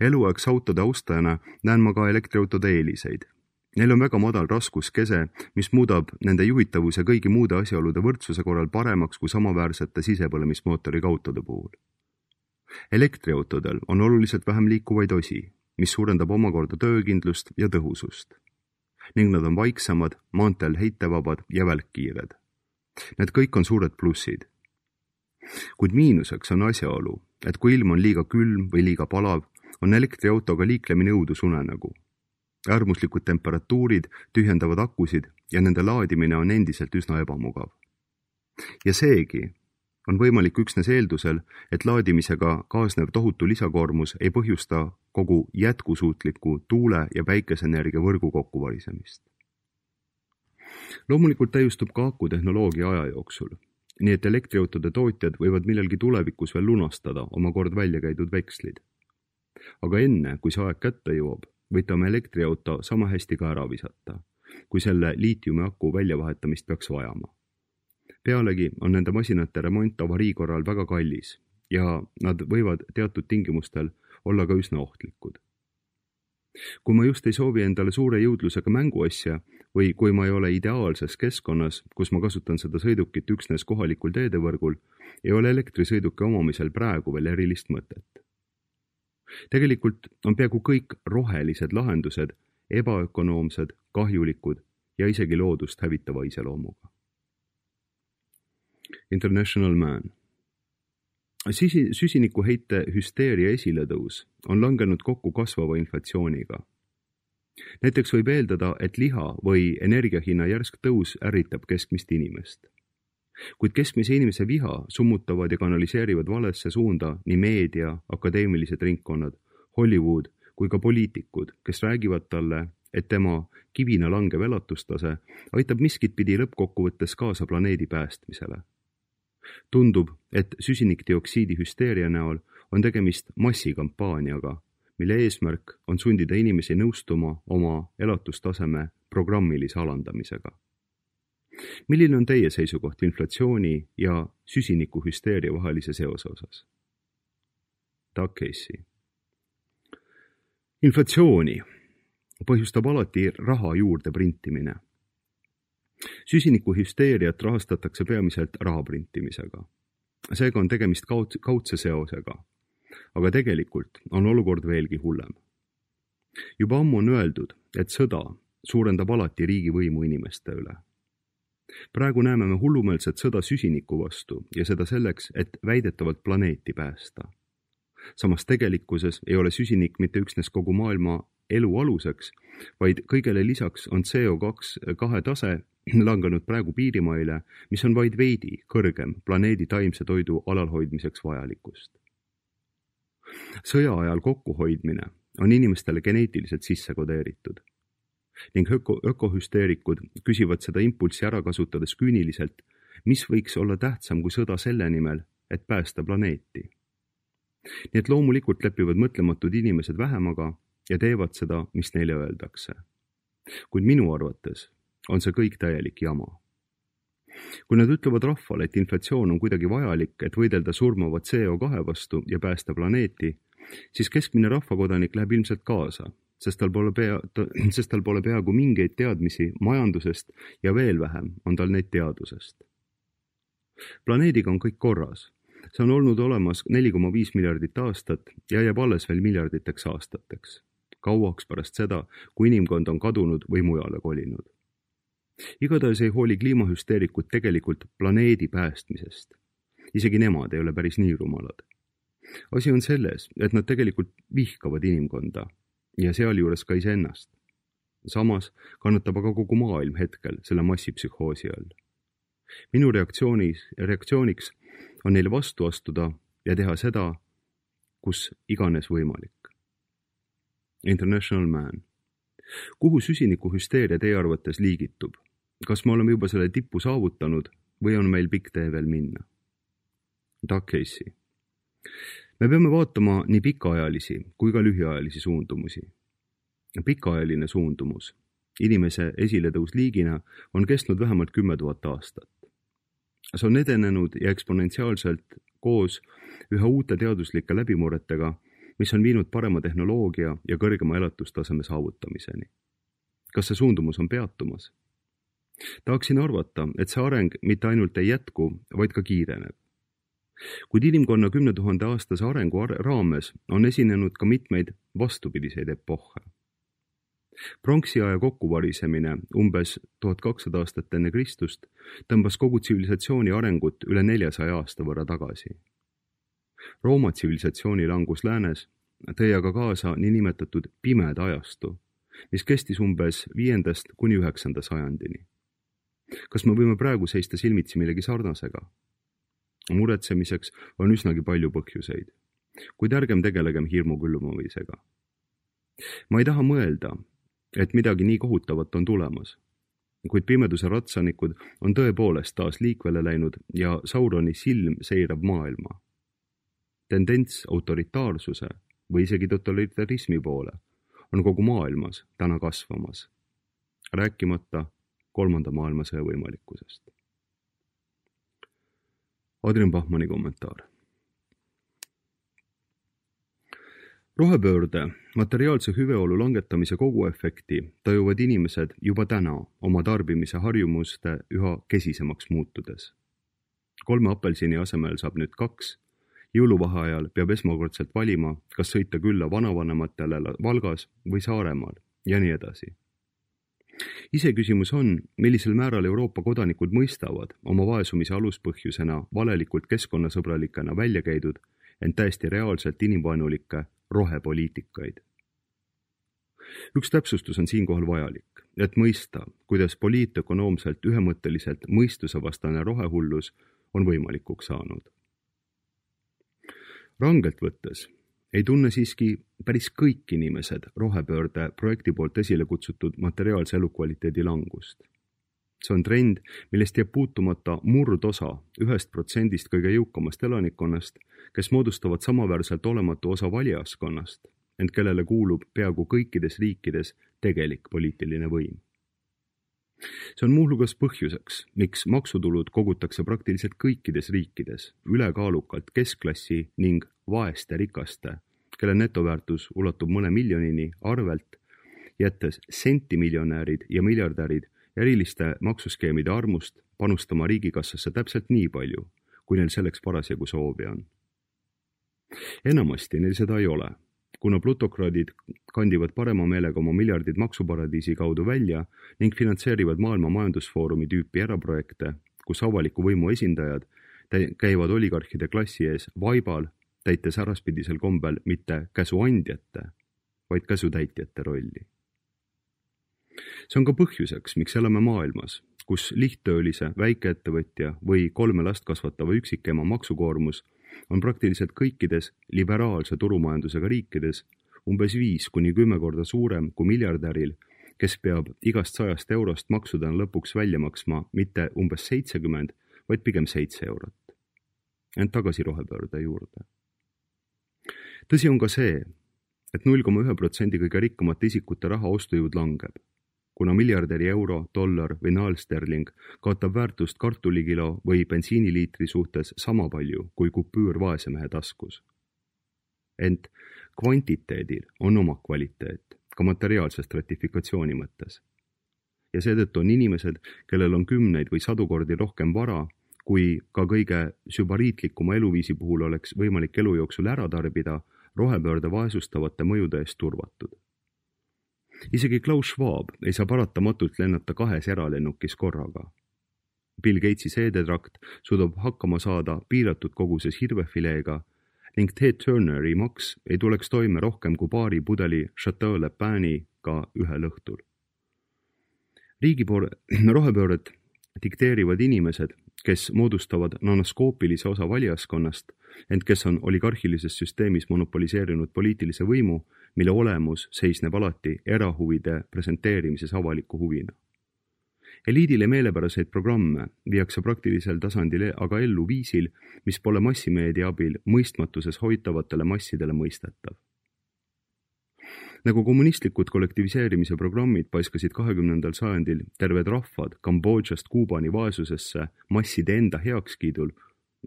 Eluaegse autode austajana näen ma ka elektriautode eeliseid. Neil on väga madal raskuskese, mis muudab nende juhitavuse kõigi muude asjaolude võrdsuse korral paremaks kui samaväärsete sisepõlemismootoriga autode puhul. Elektriautodel on oluliselt vähem liikuvaid osi, mis suurendab omakorda töökindlust ja tõhusust. Ning nad on vaiksemad, maanteel heitevabad ja välkkiired. Need kõik on suured plussid. Kuid miinuseks on asjaolu, et kui ilm on liiga külm või liiga palav, on elektriautoga liiklemine õudusunenägu. Äärmuslikud temperatuurid tühjendavad akusid ja nende laadimine on endiselt üsna ebamugav. Ja seegi on võimalik üksnes eeldusel, et laadimisega kaasnev tohutu lisakoormus ei põhjusta kogu jätkusuutliku tuule- ja päikeseenergia võrgu kokkuvarisemist. Loomulikult täiustub ka akutehnoloogia aja jooksul, nii et elektriautode tootjad võivad millalgi tulevikus veel lunastada oma kord välja käidud vekslid. aga enne, kui see aeg kätte jõuab, võite oma elektriauto sama hästi ka ära visata, kui selle liitiumiaku väljavahetamist peaks vajama. Pealegi on nende masinate remont avarii korral väga kallis ja nad võivad teatud tingimustel olla ka üsna ohtlikud. Kui ma just ei soovi endale suure jõudlusega mänguasja või kui ma ei ole ideaalses keskkonnas, kus ma kasutan seda sõidukit üksnes kohalikul teedevõrgul, ei ole elektrisõiduki omamisel praegu veel erilist mõtet. Tegelikult on peaaegu kõik rohelised lahendused ebaökonoomsed, kahjulikud ja isegi loodust hävitava iseloomuga. International Man. Süsinikuheite hüsteeria esiletõus on langenud kokku kasvava inflatsiooniga. Näiteks võib eeldada, et liha või energiahinna järsk tõus ärritab keskmist inimest. Kuid keskmise inimese viha summutavad ja kanaliseerivad valesse suunda nii meedia, akadeemilised ringkonnad, Hollywood kui ka poliitikud, kes räägivad talle, et tema kivina langev elatustase aitab miskit pidi lõppkokkuvõttes kaasa planeedi päästmisele. Tundub, et süsinikdioksiidi hüsteeria näol on tegemist massikampaaniaga, mille eesmärk on sundida inimesi nõustuma oma elatustaseme programmilise alandamisega. Milline on teie seisukoht inflatsiooni ja süsinikuhüsteeria vahelise seose osas? Doug Casey. Inflatsiooni põhjustab alati raha juurde printimine. Süsinikuhüsteeriat rahastatakse peamiselt raha printimisega. Seega on tegemist kaudse seosega, aga tegelikult on olukord veelgi hullem. Juba ammu on öeldud, et sõda suurendab alati riigi võimu inimeste üle. Praegu näeme me hullumeelset sõda süsiniku vastu ja seda selleks, et väidetavalt planeeti päästa. Samas tegelikkuses ei ole süsinik mitte üksnes kogu maailma elu aluseks, vaid kõigele lisaks on CO2 tase langenud praegu piirimaile, mis on vaid veidi kõrgem planeedi taimse toidu alalhoidmiseks vajalikust. Sõja ajal kokkuhoidmine on inimestele geneetiliselt sisse kodeeritud ning ökohüsteerikud küsivad seda impulssi ära kasutades küüniliselt, mis võiks olla tähtsam kui sõda selle nimel, et päästa planeeti. Nii et loomulikult lepivad mõtlematud inimesed vähemaga ja teevad seda, mis neile öeldakse. Kuid minu arvates on see kõik täielik jama. Kui nad ütlevad rahvale, et inflatsioon on kuidagi vajalik, et võidelda surmava CO2 vastu ja päästa planeeti, siis keskmine rahvakodanik läheb ilmselt kaasa, sest tal pole peaaegu mingeid teadmisi majandusest ja veel vähem on tal neid teadusest. Planeediga on kõik korras. See on olnud olemas 4,5 miljardit aastat ja jääb alles veel miljarditeks aastateks, kauaks pärast seda, kui inimkond on kadunud või mujale kolinud. Igatahes ei hooli kliimahüsteerikud tegelikult planeedi päästmisest. Isegi nemad ei ole päris nii rumalad. Asi on selles, et nad tegelikult vihkavad inimkonda ja sealjuures ka iseennast. Samas kannatab aga kogu maailm hetkel selle massipsühhoosi all. Minu reaktsiooniks on neile vastu astuda ja teha seda, kus iganes võimalik. International Man. Kuhu süsinikuhüsteeria teie arvates liigitub? Kas me oleme juba selle tippu saavutanud või on meil pikk tee veel minna? Doug Casey. Me peame vaatama nii pikaajalisi kui ka lühiajalisi suundumusi. Pikaajaline suundumus, inimese esiletõus liigina, on kestnud vähemalt 10 000 aastat. See on edenenud ja eksponentsiaalselt koos üha uute teaduslike läbimurretega, mis on viinud parema tehnoloogia ja kõrgema elatustaseme saavutamiseni. Kas see suundumus on peatumas? Tahaksin arvata, et see areng mitte ainult ei jätku, vaid ka kiireneb. Kuid inimkonna 10 000 aastase arengu raames on esinenud ka mitmeid vastupidiseid epohhe. Pronksiaja kokkuvarisemine umbes 1200 aastat enne Kristust tõmbas kogu tsivilisatsiooni arengut üle 400 aasta võrra tagasi. Rooma tsivilisatsiooni langus läänes tõi aga kaasa niinimetatud pimeda ajastu, mis kestis umbes 5. kuni 9. sajandini. Kas me võime praegu seista silmitsi millegi sarnasega? Muretsemiseks on üsnagi palju põhjuseid, kuid ärgem tegelegem hirmu külmamisega. Ma ei taha mõelda, et midagi nii kohutavat on tulemas, kuid pimeduse ratsanikud on tõepoolest taas liikvele läinud ja Sauroni silm seirab maailma. Tendents autoritaarsuse või isegi totalitarismi poole on kogu maailmas täna kasvamas, rääkimata 3. maailmasõja võimalikkusest. Adrian Bachmanni kommentaar. Rohepöörde materiaalse hüveolu langetamise koguefekti tajuvad inimesed juba täna oma tarbimise harjumuste üha kesisemaks muutudes. 3 apelsini asemel saab nüüd 2. Jõuluvaheajal peab esmakordselt valima, kas sõita külla vanavanematele Valgas või Saaremaal ja nii edasi. Iseküsimus on, millisel määral Euroopa kodanikud mõistavad oma vaesumise aluspõhjusena valelikult keskkonnasõbralikena välja käidud, ent täiesti reaalselt inimvaenulikke rohepoliitikaid. Üks täpsustus on siinkohal vajalik, et mõista, kuidas poliitökonoomselt ühemõtteliselt mõistusevastane rohehullus on võimalikuks saanud. Rangelt võttes ei tunne siiski päris kõik inimesed rohepöörde projekti poolt esile kutsutud materiaalse elukvaliteedi langust. See on trend, millest jääb puutumata murdosa 1% kõige jõukamast elanikkonnast, kes moodustavad samaväärselt olematu osa valijaskonnast, ent kellele kuulub peaaegu kõikides riikides tegelik poliitiline võim. See on muuhulgas põhjuseks, miks maksutulud kogutakse praktiliselt kõikides riikides ülekaalukalt keskklassi ning vaeste rikaste, kelle netoväärtus ulatub mõne miljonini arvelt, jättes sentimiljonäärid ja miljardärid eriliste maksuskeemide armust panustama riigikassasse täpselt nii palju, kui neil selleks parasjagu soovi on. Enamasti neil seda ei ole, kuna plutokraadid kandivad parema meelega oma miljardid maksuparadiisi kaudu välja ning finantseerivad maailma majandusfoorumi tüüpi eraprojekte, kus avaliku võimu esindajad käivad oligarhide klassi ees vaibal, täites äraspidisel kombel mitte käsuandjate, vaid käsutäitjate rolli. See on ka põhjuseks, miks elame maailmas, kus lihttöölise, väikeettevõtja või 3 last kasvatava üksikema maksukoormus on praktiliselt kõikides liberaalse turumajandusega riikides umbes 5–10 korda suurem kui miljardäril, kes peab igast 100 eurost maksudena lõpuks välja maksma mitte umbes 70, vaid pigem 7 eurot. Ent tagasi rohepöörde juurde. Tõsi on ka see, et 0,1% kõige rikkamate isikute raha ostujõud langeb, kuna miljardäri euro, dollar või naalsterling kaotab väärtust kartulikilo või bensiiniliitri suhtes sama palju kui kupüür vaesemehe taskus. Ent kvantiteedil on oma kvaliteet, ka materiaalse stratifikatsiooni mõttes. Ja seetõttu on inimesed, kellel on 10 või 100 kordi rohkem vara, kui ka kõige sübariitlikuma eluviisi puhul oleks võimalik elu jooksul ära tarbida, rohepöörde vaesustavate mõjude eest turvatud. Isegi Klaus Schwab ei saa paratamatult lennata 2 eralennukis korraga. Bill Gatesi seedetrakt suudab hakkama saada piiratud koguses hirvefileega ning Ted Turneri maks ei tuleks toime rohkem kui paari pudeli Chateau Le Paniga ühel õhtul. Riigi poole rohepööret dikteerivad inimesed, kes moodustavad nanoskoopilise osa valijaskonnast, ent kes on oligarhilises süsteemis monopoliseerinud poliitilise võimu, mille olemus seisneb alati erahuvide presenteerimises avaliku huvina. Eliidile meelepäraseid programme viiakse praktilisel tasandil aga ellu viisil, mis pole massimeedia abil mõistmatuses hoitavatele massidele mõistetav. Nagu kommunistlikud kollektiviseerimise programmid paiskasid 20. sajandil terved rahvad Kambodžast Kuubani vaesusesse masside enda heakskiidul,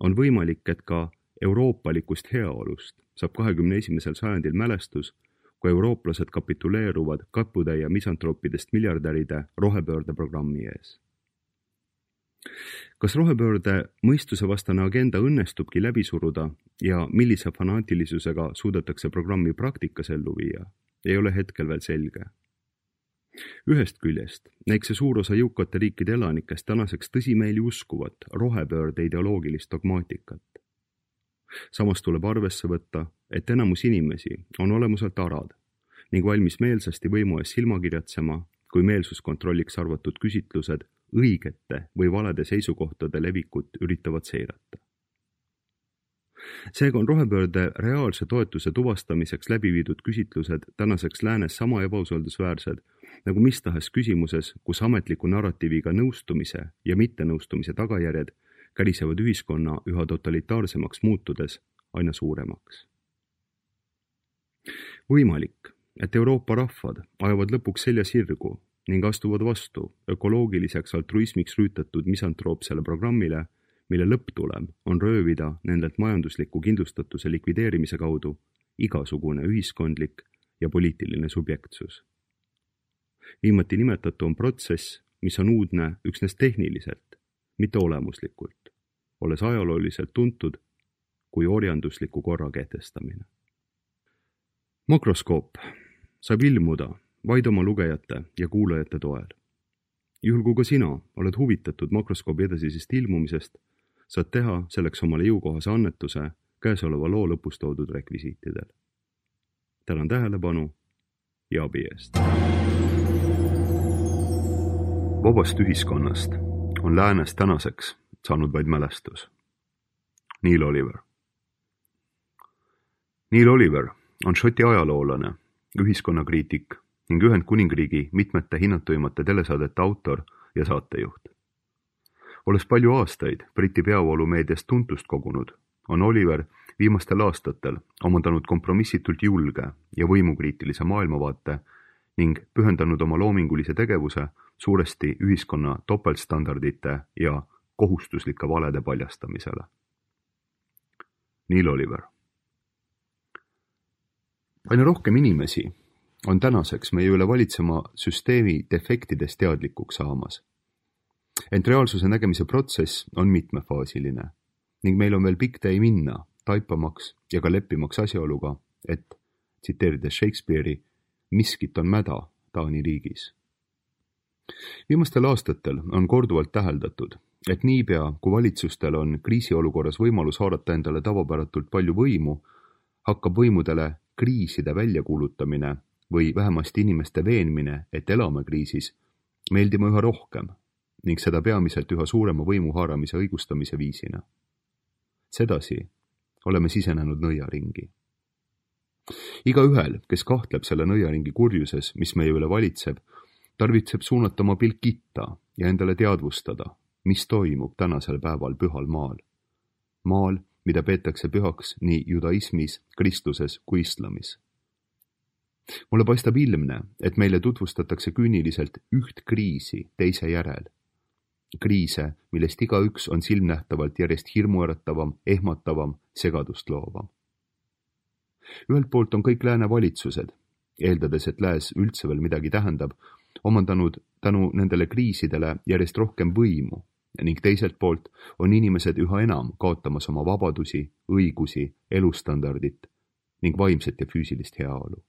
on võimalik, et ka euroopalikust heaolust saab 21. sajandil mälestus, kui eurooplased kapituleeruvad kaputäie misantroopidest miljardäride rohepöördeprogrammi ees. Kas rohepöörde mõistusevastane agenda õnnestubki läbi suruda ja millise fanaatilisusega suudetakse programmi praktikas ellu viia, ei ole hetkel veel selge. Ühest küljest näiks see suur osa jõukate riikide elanikest tänaseks tõsimeeli uskuvat rohepöörde ideoloogilist dogmaatikat. Samas tuleb arvesse võtta, et enamus inimesi on olemuselt arad ning valmis meelsasti võimu ees silmakirjatsema, kui meelsuskontrolliks arvatud küsitlused õigete või valede seisukohtade levikut üritavad seirata. Seega on rohepöörde reaalse toetuse tuvastamiseks läbi viidud küsitlused tänaseks läänes sama ebausaldusväärsed nagu mis tahes küsimuses, kus ametliku narratiiviga nõustumise ja mittenõustumise tagajärjed kärisevad ühiskonna üha totalitaarsemaks muutudes aina suuremaks. Võimalik, et Euroopa rahvad ajavad lõpuks selja sirgu ning astuvad vastu ökoloogiliseks altruismiks rüütatud misantroopsele programmile, mille lõpptulem on röövida nendelt majandusliku kindlustatuse likvideerimise kaudu igasugune ühiskondlik ja poliitiline subjektsus. Viimati nimetatu on protsess, mis on uudne üksnes tehniliselt, mitte olemuslikult, olles ajalooliselt tuntud kui orjandusliku korra kehtestamine. Makroskoop saab ilmuda vaid oma lugejate ja kuulajate toel. Juhul kui ka sina oled huvitatud makroskoobi edasisest ilmumisest, saad teha selleks omale jõukohase annetuse käesoleva loo lõpus toodud rekvisiitidel. Tänan tähelepanu ja abi eest. Vabast ühiskonnast on läänes tänaseks saanud vaid mälestus. Neil Oliver. Neil Oliver on Šoti ajaloolane, ühiskonnakriitik ning Ühendkuningriigi mitmete hinnatuimate telesaadete autor ja saatejuht. Olles palju aastaid Briti peavoolumeediast tuntust kogunud, on Oliver viimastel aastatel omandanud kompromissitult julge ja võimukriitilise maailmavaate ning pühendanud oma loomingulise tegevuse suuresti ühiskonna topeltstandardite ja kohustuslike valede paljastamisele. Neil Oliver. Aina rohkem inimesi on tänaseks meie üle valitsema süsteemi defektidest teadlikuks saamas. Ent reaalsuse nägemise protsess on mitmefaasiline ning meil on veel pikk tee minna, taipamaks ja ka leppimaks asjaoluga, et, tsiteerides Shakespeare'i, miskit on mäda Taani riigis. Viimastel aastatel on korduvalt täheldatud, et niipea, kui valitsustel on kriisiolukorras võimalus haarata endale tavapäratult palju võimu, hakkab võimudele kriiside väljakuulutamine või vähemasti inimeste veenmine, et elame kriisis, meeldima üha rohkem ning seda peamiselt üha suurema võimu haaramise õigustamise viisina. Sedasi oleme sisenenud nõiaringi. Igaühel, kes kahtleb selle nõiaringi kurjuses, mis meie üle valitseb, tarvitseb suunata oma pilk itta ja endale teadvustada, mis toimub tänasel päeval pühal maal. Maal, mida peetakse pühaks nii judaismis, kristluses kui islamis. Mulle paistab ilmne, et meile tutvustatakse küüniliselt üht kriisi teise järel. Kriise, millest igaüks on silmnähtavalt järjest hirmuäratavam, ehmatavam, segadust loovam. Ühelt poolt on kõik lääne valitsused, eeldades, et lääs üldse veel midagi tähendab, omandanud tänu nendele kriisidele järjest rohkem võimu ning teiselt poolt on inimesed üha enam kaotamas oma vabadusi, õigusi, elustandardit ning vaimset ja füüsilist heaolu.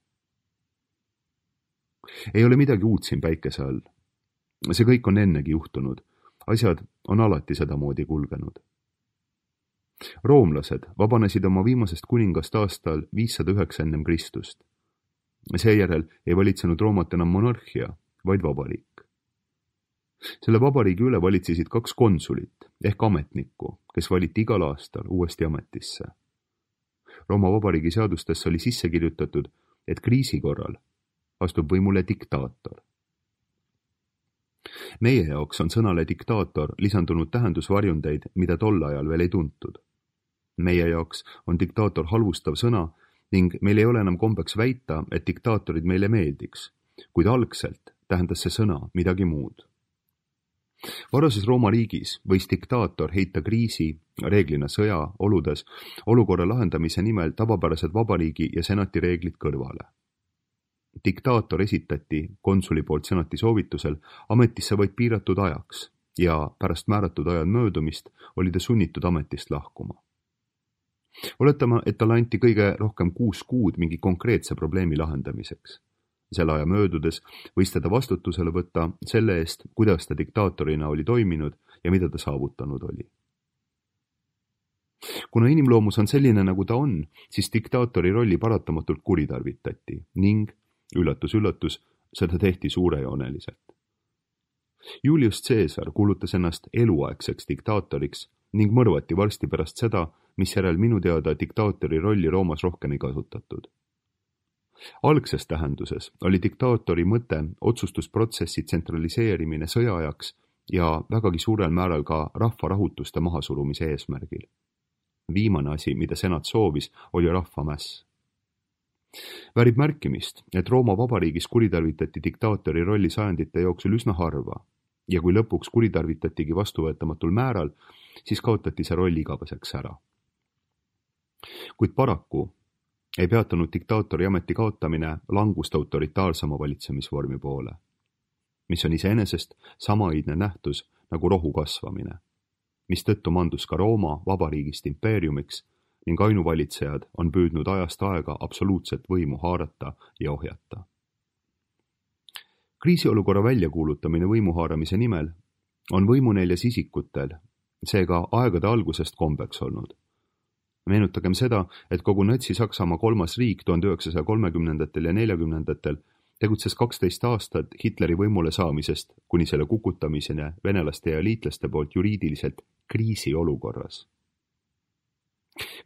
Ei ole midagi uut siin päikese all. See kõik on ennegi juhtunud. Asjad on alati sedamoodi kulgenud. Roomlased vabanesid oma viimasest kuningast aastal 509 ennem Kristust. Seejärel ei valitsenud Roomat enam monarhia, vaid vabariik. Selle vabariigi üle valitsesid 2 konsulit ehk ametnikku, kes valiti igal aastal uuesti ametisse. Rooma vabariigi seadustesse oli sisse kirjutatud, et kriisi korral astub võimule diktaator. Meie jaoks on sõnale diktaator lisandunud tähendusvarjundeid, mida tol ajal veel ei tuntud. Meie jaoks on diktaator halvustav sõna ning meil ei ole enam kombeks väita, et diktaatorid meile meeldiks, kuid algselt tähendas see sõna midagi muud. Varases Rooma riigis võis diktaator heita kriisi, reeglina sõja oludes, olukorra lahendamise nimel tavapärased vabariigi ja senati reeglid kõrvale. Diktaator esitati konsuli poolt senati soovitusel ametisse vaid piiratud ajaks ja pärast määratud ajan möödumist oli ta sunnitud ametist lahkuma. Oletame, et talle anti kõige rohkem 6 kuud mingi konkreetse probleemi lahendamiseks. Selle aja möödudes võis teda vastutusele võtta selle eest, kuidas ta diktaatorina oli toiminud ja mida ta saavutanud oli. Kuna inimloomus on selline, nagu ta on, siis diktaatori rolli paratamatult kuritarvitati ning üllatus, seda tehti suurejooneliselt. Julius Caesar kuulutas ennast eluaegseks diktaatoriks ning mõrvati varsti pärast seda, mis järel minu teada diktaatori rolli Roomas rohkem ei kasutatud. Algses tähenduses oli diktaatori mõte otsustusprotsessi tsentraliseerimine sõjaajaks ja vägagi suurel määral ka rahvarahutuste mahasurumise eesmärgil. Viimane asi, mida senat soovis, oli rahvamäss. Väärib märkimist, et Rooma Vabariigis kuritarvitati diktaatori rolli sajandite jooksul üsna harva ja kui lõpuks kuritarvitatigi vastuvõetamatul määral, siis kaotati see roll igaveseks ära. Kuid paraku ei peatanud diktaatori ameti kaotamine langust autoritaarsema valitsemisvormi poole, mis on iseenesest sama õidne nähtus nagu rohu kasvamine, mistõttu mandus ka Rooma Vabariigist impeeriumiks ning ainuvalitsejad on püüdnud ajast aega absoluutset võimu haarata ja ohjata. Kriisiolukorra väljakuulutamine võimu haaramise nimel on võimunäljas isikutel seega aegade algusest kombeks olnud. Meenutagem seda, et kogu Natsi-Saksamaa kolmas riik 1930. ja 40. tegutses 12 aastat Hitleri võimule saamisest kuni selle kukutamiseni venelaste ja liitlaste poolt juriidiliselt kriisiolukorras.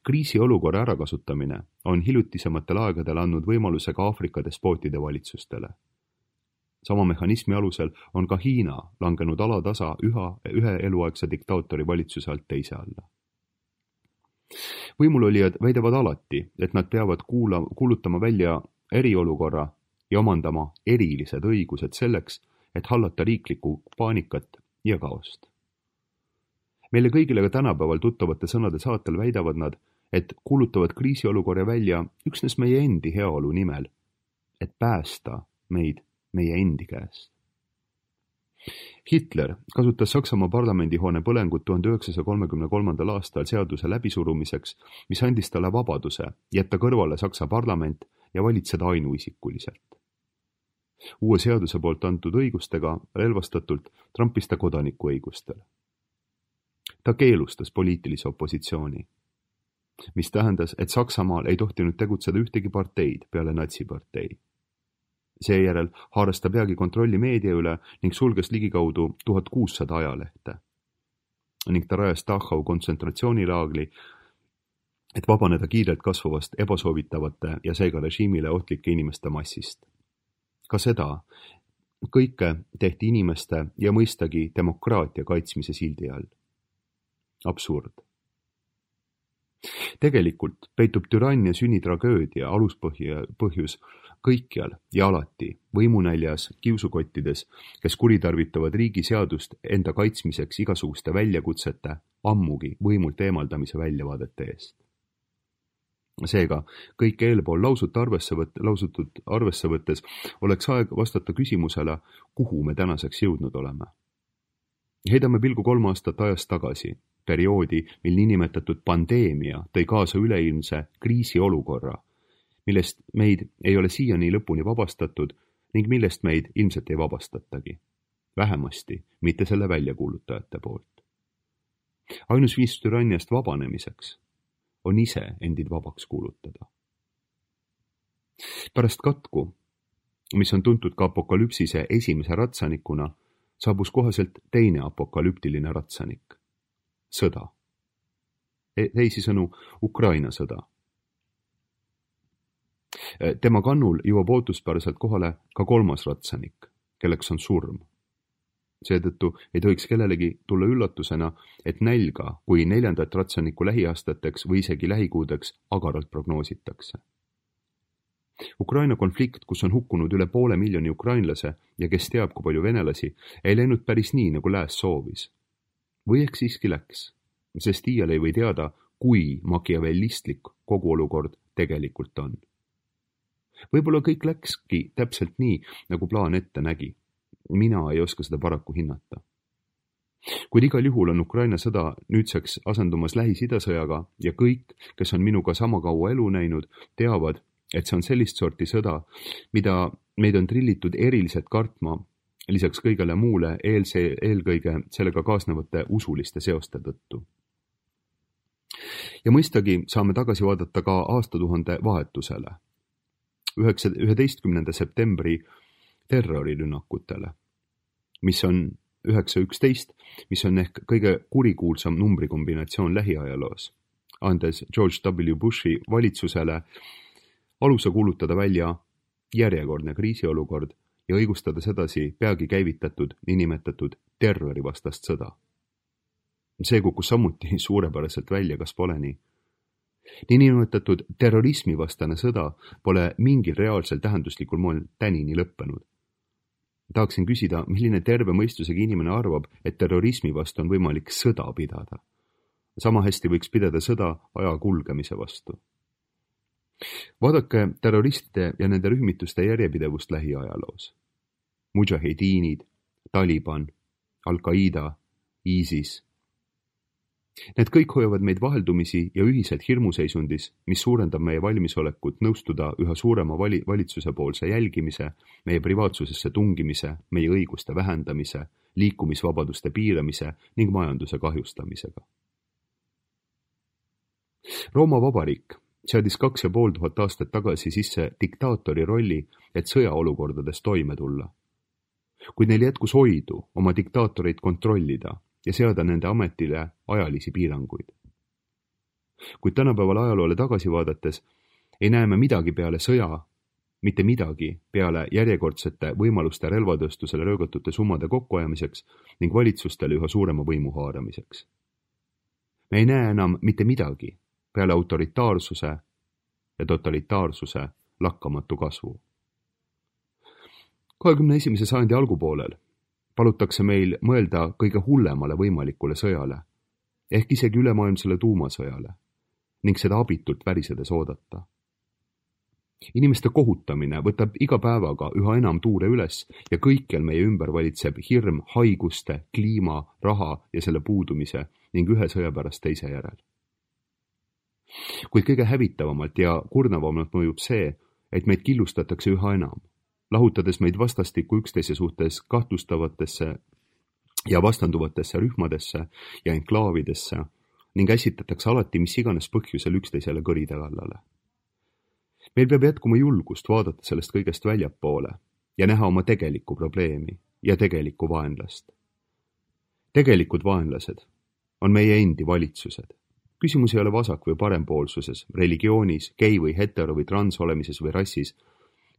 Kriisiolukorra ärakasutamine on hiljutisematel aegadel andnud võimaluse ka Aafrika despootide valitsustele. Sama mehhanismi alusel on ka Hiina langenud alatasa ühe eluaegse diktaatori valitsuse alt teise alla. Võimulolijad väidavad alati, et nad peavad kuulutama välja eriolukorra ja omandama erilised õigused selleks, et hallata riiklikku paanikat ja kaost. Meile kõigile ka tänapäeval tuttavate sõnade saatel väidavad nad, et kuulutavad kriisiolukorra välja üksnes meie endi heaolu nimel, et päästa meid meie endi käest. Hitler kasutas Saksamaa parlamendihoone põlengut 1933. aastal seaduse läbisurumiseks, mis andis talle vabaduse jätta kõrvale Saksa parlament ja valitseda ainuisikuliselt. Uue seaduse poolt antud õigustega relvastatult trampis ta kodanikuõigustel. Ta keelustas poliitilise opositsiooni, mis tähendas, et Saksamaal ei tohtinud tegutseda ühtegi parteid peale natsipartei. Seejärel haaras ta peagi kontrolli meedia üle ning sulges ligikaudu 1600 ajalehte. Ning ta rajas Dachau kontsentratsioonilaagli, et vabaneda kiirelt kasvavast ebasoovitavate ja seega režiimile ohtlike inimeste massist. Ka seda kõike tehti inimeste ja mõistagi demokraatia kaitsmise sildi all. Absurd. Tegelikult peitub türannia sünnitragöödia aluspõhjus kõikjal ja alati võimunäljas kiusukottides, kes kuritarvitavad riigi seadust enda kaitsmiseks igasuguste väljakutsete, ammugi võimult eemaldamise väljavaadete eest. Seega, kõik eelpool lausutud arvesse võttes oleks aeg vastata küsimusele, kuhu me tänaseks jõudnud oleme. Heidame pilgu 3 aastat ajast tagasi, perioodi, mil niinimetatud pandeemia tõi kaasa üleilmse kriisiolukorra, millest meid ei ole siiani lõpuni vabastatud ning millest meid ilmselt ei vabastatagi. Vähemasti mitte selle väljakuulutajate poolt. Ainus viis türanniast vabanemiseks on ise endid vabaks kuulutada. Pärast katku, mis on tuntud ka apokalüpsise esimese ratsanikuna, saabus kohaselt teine apokalüptiline ratsanik. Sõda. Teisisõnu, Ukraina sõda. Tema kannul jõuab ootuspäraselt kohale ka 3. ratsanik, kelleks on surm. Seetõttu ei tohiks kellelegi tulla üllatusena, et nälga kui 4. ratsaniku lähiaastateks või isegi lähikuudeks agaralt prognoositakse. Ukraina konflikt, kus on hukkunud üle 500 000 ukrainlase ja kes teab, kui palju venelasi, ei läinud päris nii, nagu lääs soovis. Või ehk siiski läks, sest iial ei või teada, kui makiavellistlik kogu olukord tegelikult on. Võib-olla kõik läkski täpselt nii, nagu plaan ette nägi. Mina ei oska seda paraku hinnata. Kuid igal juhul on Ukraina sõda nüüdseks asendumas Lähis-Ida sõjaga ja kõik, kes on minuga sama kaua elu näinud, teavad, et see on sellist sorti sõda, mida meid on trillitud eriliselt kartma, lisaks kõigele muule eelkõige sellega kaasnevate usuliste seoste tõttu. Ja mõistagi saame tagasi vaadata ka aastatuhande vahetusele, 11. septembri terrorirünnakutele, mis on 911, mis on ehk kõige kurikuulsam numbrikombinatsioon lähiajaloos, andes George W. Bushi valitsusele aluse kuulutada välja järjekordne kriisiolukord ja õigustada sedasi peagi käivitatud niinimetatud terrorivastast sõda. See kukkus samuti suurepäraselt välja, kas pole nii. Niinimetatud terrorismivastane sõda pole mingil reaalsel tähenduslikul moel tänini lõppenud. Tahaksin küsida, milline terve mõistusega inimene arvab, et terrorismi vastu on võimalik sõda pidada. Sama hästi võiks pidada sõda aja kulgemise vastu. Vaadake terroristide ja nende rühmituste järjepidevust lähiajaloos. Mujahediinid, Taliban, Al-Qaeda, ISIS. Need kõik hoiavad meid vaheldumisi ja ühiselt hirmuseisundis, mis suurendab meie valmisolekut nõustuda üha suurema valitsuse poolse jälgimise, meie privaatsusesse tungimise, meie õiguste vähendamise, liikumisvabaduste piiramise ning majanduse kahjustamisega. Rooma Vabariik seadis 2500 aastat tagasi sisse diktaatori rolli, et sõjaolukordades toime tulla. Kuid neil jätkus hoidu oma diktaatoreid kontrollida ja seada nende ametile ajalisi piiranguid. Kuid tänapäeval ajaloole tagasi vaadates ei näe me midagi peale sõja, mitte midagi peale järjekordsete võimaluste relvatööstusele röögatute summade kokkuajamiseks ning valitsustele üha suurema võimu haaramiseks. Me ei näe enam mitte midagi peale autoritaarsuse ja totalitaarsuse lakkamatu kasvu. 21. sajandi algupoolel palutakse meil mõelda kõige hullemale võimalikule sõjale, ehk isegi ülemaailmsele tuumasõjale, ning seda abitult värisedes oodata. Inimeste kohutamine võtab iga päevaga üha enam tuure üles ja kõikjal meie ümber valitseb hirm haiguste, kliima, raha ja selle puudumise ning ühe sõja pärast teise järel. Kuid kõige hävitavamalt ja kurnavamalt mõjub see, et meid killustatakse üha enam, lahutades meid vastastikku üksteise suhtes kahtlustavatesse ja vastanduvatesse rühmadesse ja enklaavidesse ning äsitatakse alati mis iganes põhjusel üksteisele kõride kallale. Meil peab jätkuma julgust vaadata sellest kõigest väljapoole ja näha oma tegelikku probleemi ja tegelikku vaenlast. Tegelikud vaenlased on meie endi valitsused. Küsimus ei ole vasak- või parempoolsuses, religioonis, gei- või hetero- või trans olemises või rassis.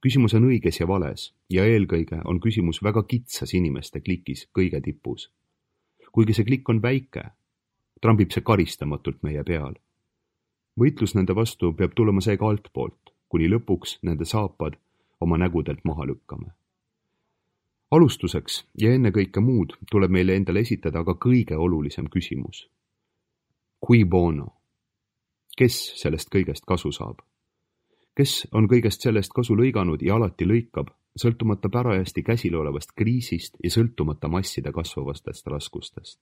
Küsimus on õiges ja vales ja eelkõige on küsimus väga kitsas inimeste klikis kõige tipus. Kuigi see klikk on väike, trambib see karistamatult meie peal. Võitlus nende vastu peab tulema seega altpoolt, kuni lõpuks nende saapad oma nägudelt maha lükkame. Alustuseks ja ennekõike muud tuleb meile endale esitada aga kõige olulisem küsimus. Cui bono? Kes sellest kõigest kasu saab? Kes on kõigest sellest kasu lõiganud ja alati lõikab, sõltumata parajasti käsil olevast kriisist ja sõltumata masside kasvavastest raskustest?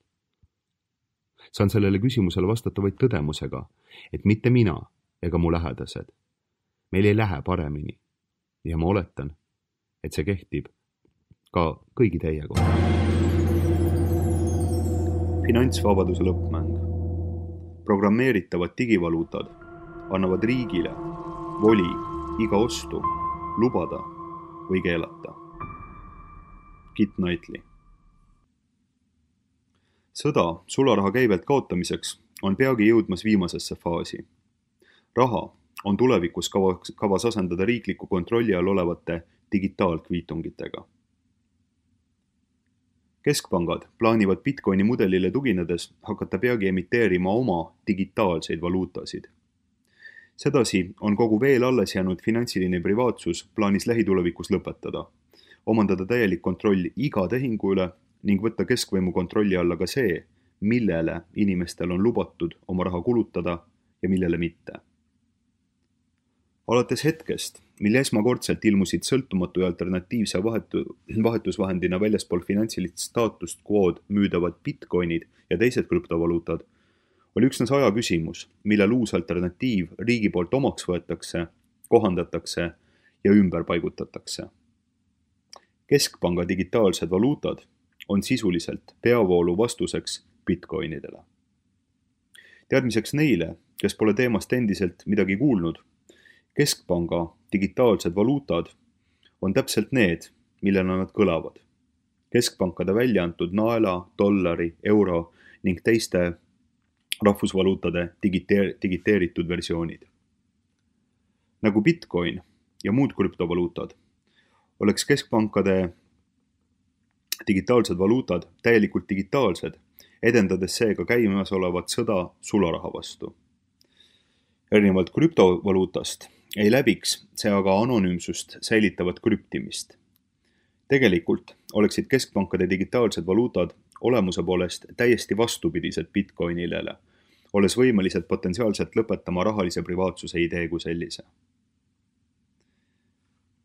Saan sellele küsimusele vastata vaid tõdemusega, et mitte mina ega mu lähedased. Meil ei lähe paremini ja ma oletan, et see kehtib ka kõigi teie kohta. Finantsvabaduse lõppmäng. Programmeeritavad digivaluutad annavad riigile voli iga ostu lubada või keelata. Kit Knightley. Sõda sularaha käibelt kaotamiseks on peagi jõudmas viimasesse faasi. Raha on tulevikus kavas asendada riikliku kontrolli all olevate digitaalkviitungitega. Keskpangad plaanivad Bitcoini mudelile tuginedes hakata peagi emiteerima oma digitaalseid valuutasid. Sedasi on kogu veel alles jäänud finantsiline privaatsus plaanis lähitulevikus lõpetada, omandada täielik kontroll iga tehingu üle ning võtta keskvõimu kontrolli alla ka see, millele inimestel on lubatud oma raha kulutada ja millele mitte. Alates hetkest, mil esmakordselt ilmusid sõltumatu ja alternatiivse vahetusvahendina väljaspool finantsilist staatust quo'd müüdavad bitcoinid ja teised krüptovaluutad, oli üksnes aja küsimus, millal uus alternatiiv riigi poolt omaks võetakse, kohandatakse ja ümber paigutatakse. Keskpanga digitaalsed valuutad on sisuliselt peavoolu vastuseks bitcoinidele. Teadmiseks neile, kes pole teemast endiselt midagi kuulnud, Keskpanga digitaalsed valuutad on täpselt need, millena nad kõlavad. Keskpankade välja antud naela, dollari, euro ning teiste rahvusvaluutade digiteeritud versioonid. Nagu Bitcoin ja muud krüptovaluutad, oleks keskpankade digitaalsed valuutad täielikult digitaalsed, edendades seega käimasolevat sõda sularaha vastu. Erinevalt krüptovaluutast ei läbiks see aga anonüümsust säilitavat krüptimist. Tegelikult oleksid keskpankade digitaalsed valuutad olemuse poolest täiesti vastupidised Bitcoinile, olles võimelised potentsiaalselt lõpetama rahalise privaatsuse idee kui sellise.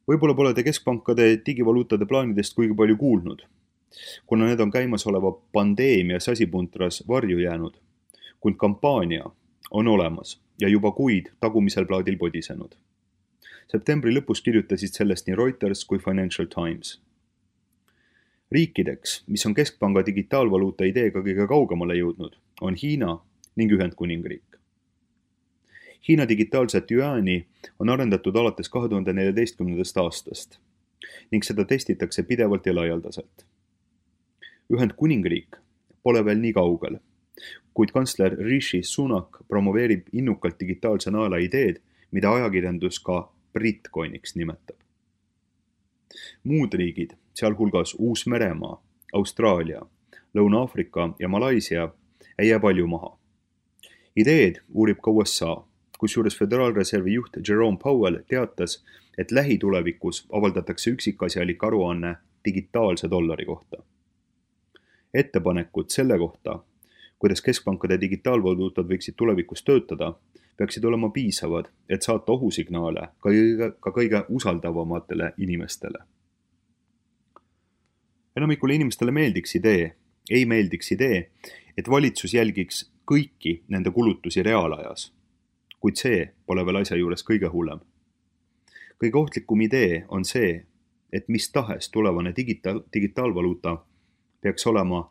Võib-olla pole te keskpankade digivaluutade plaanidest kuigi palju kuulnud, kuna need on käimasoleva pandeemia sasipuntras varju jäänud, kuid kampaania on olemas ja juba kuid tagumisel plaadil podisenud. Septembri lõpus kirjutasid sellest nii Reuters kui Financial Times. Riikideks, mis on keskpanga digitaalvaluuta ideega kõige kaugemale jõudnud, on Hiina ning Ühendkuningriik. Hiina digitaalset juaani on arendatud alates 2014. aastast ning seda testitakse pidevalt ja laialdaselt. Ühendkuningriik pole veel nii kaugel, kuid kantsler Rishi Sunak promoveerib innukalt digitaalse naela ideed, mida ajakirjandus ka Bitcoiniks nimetab. Muud riigid, sealhulgas Uus-Meremaa, Austraalia, Lõuna-Aafrika ja Malaisia ei jää palju maha. Ideed uurib ka USA, kusjuures Föderaalreservi juht Jerome Powell teatas, et lähitulevikus avaldatakse üksikasjalik aruanne digitaalse dollari kohta. Ettepanekud selle kohta, kuidas keskpankade digitaalvaluutad võiksid tulevikus töötada, peaksid olema piisavad, et saata ohusignaale ka kõige usaldavamatele inimestele. Enamikule inimestele ei meeldiks idee, et valitsus jälgiks kõiki nende kulutusi reaalajas, kuid see pole veel asja juures kõige hullem. Kõige ohtlikum idee on see, et mis tahes tulevane digitaalvaluuta peaks olema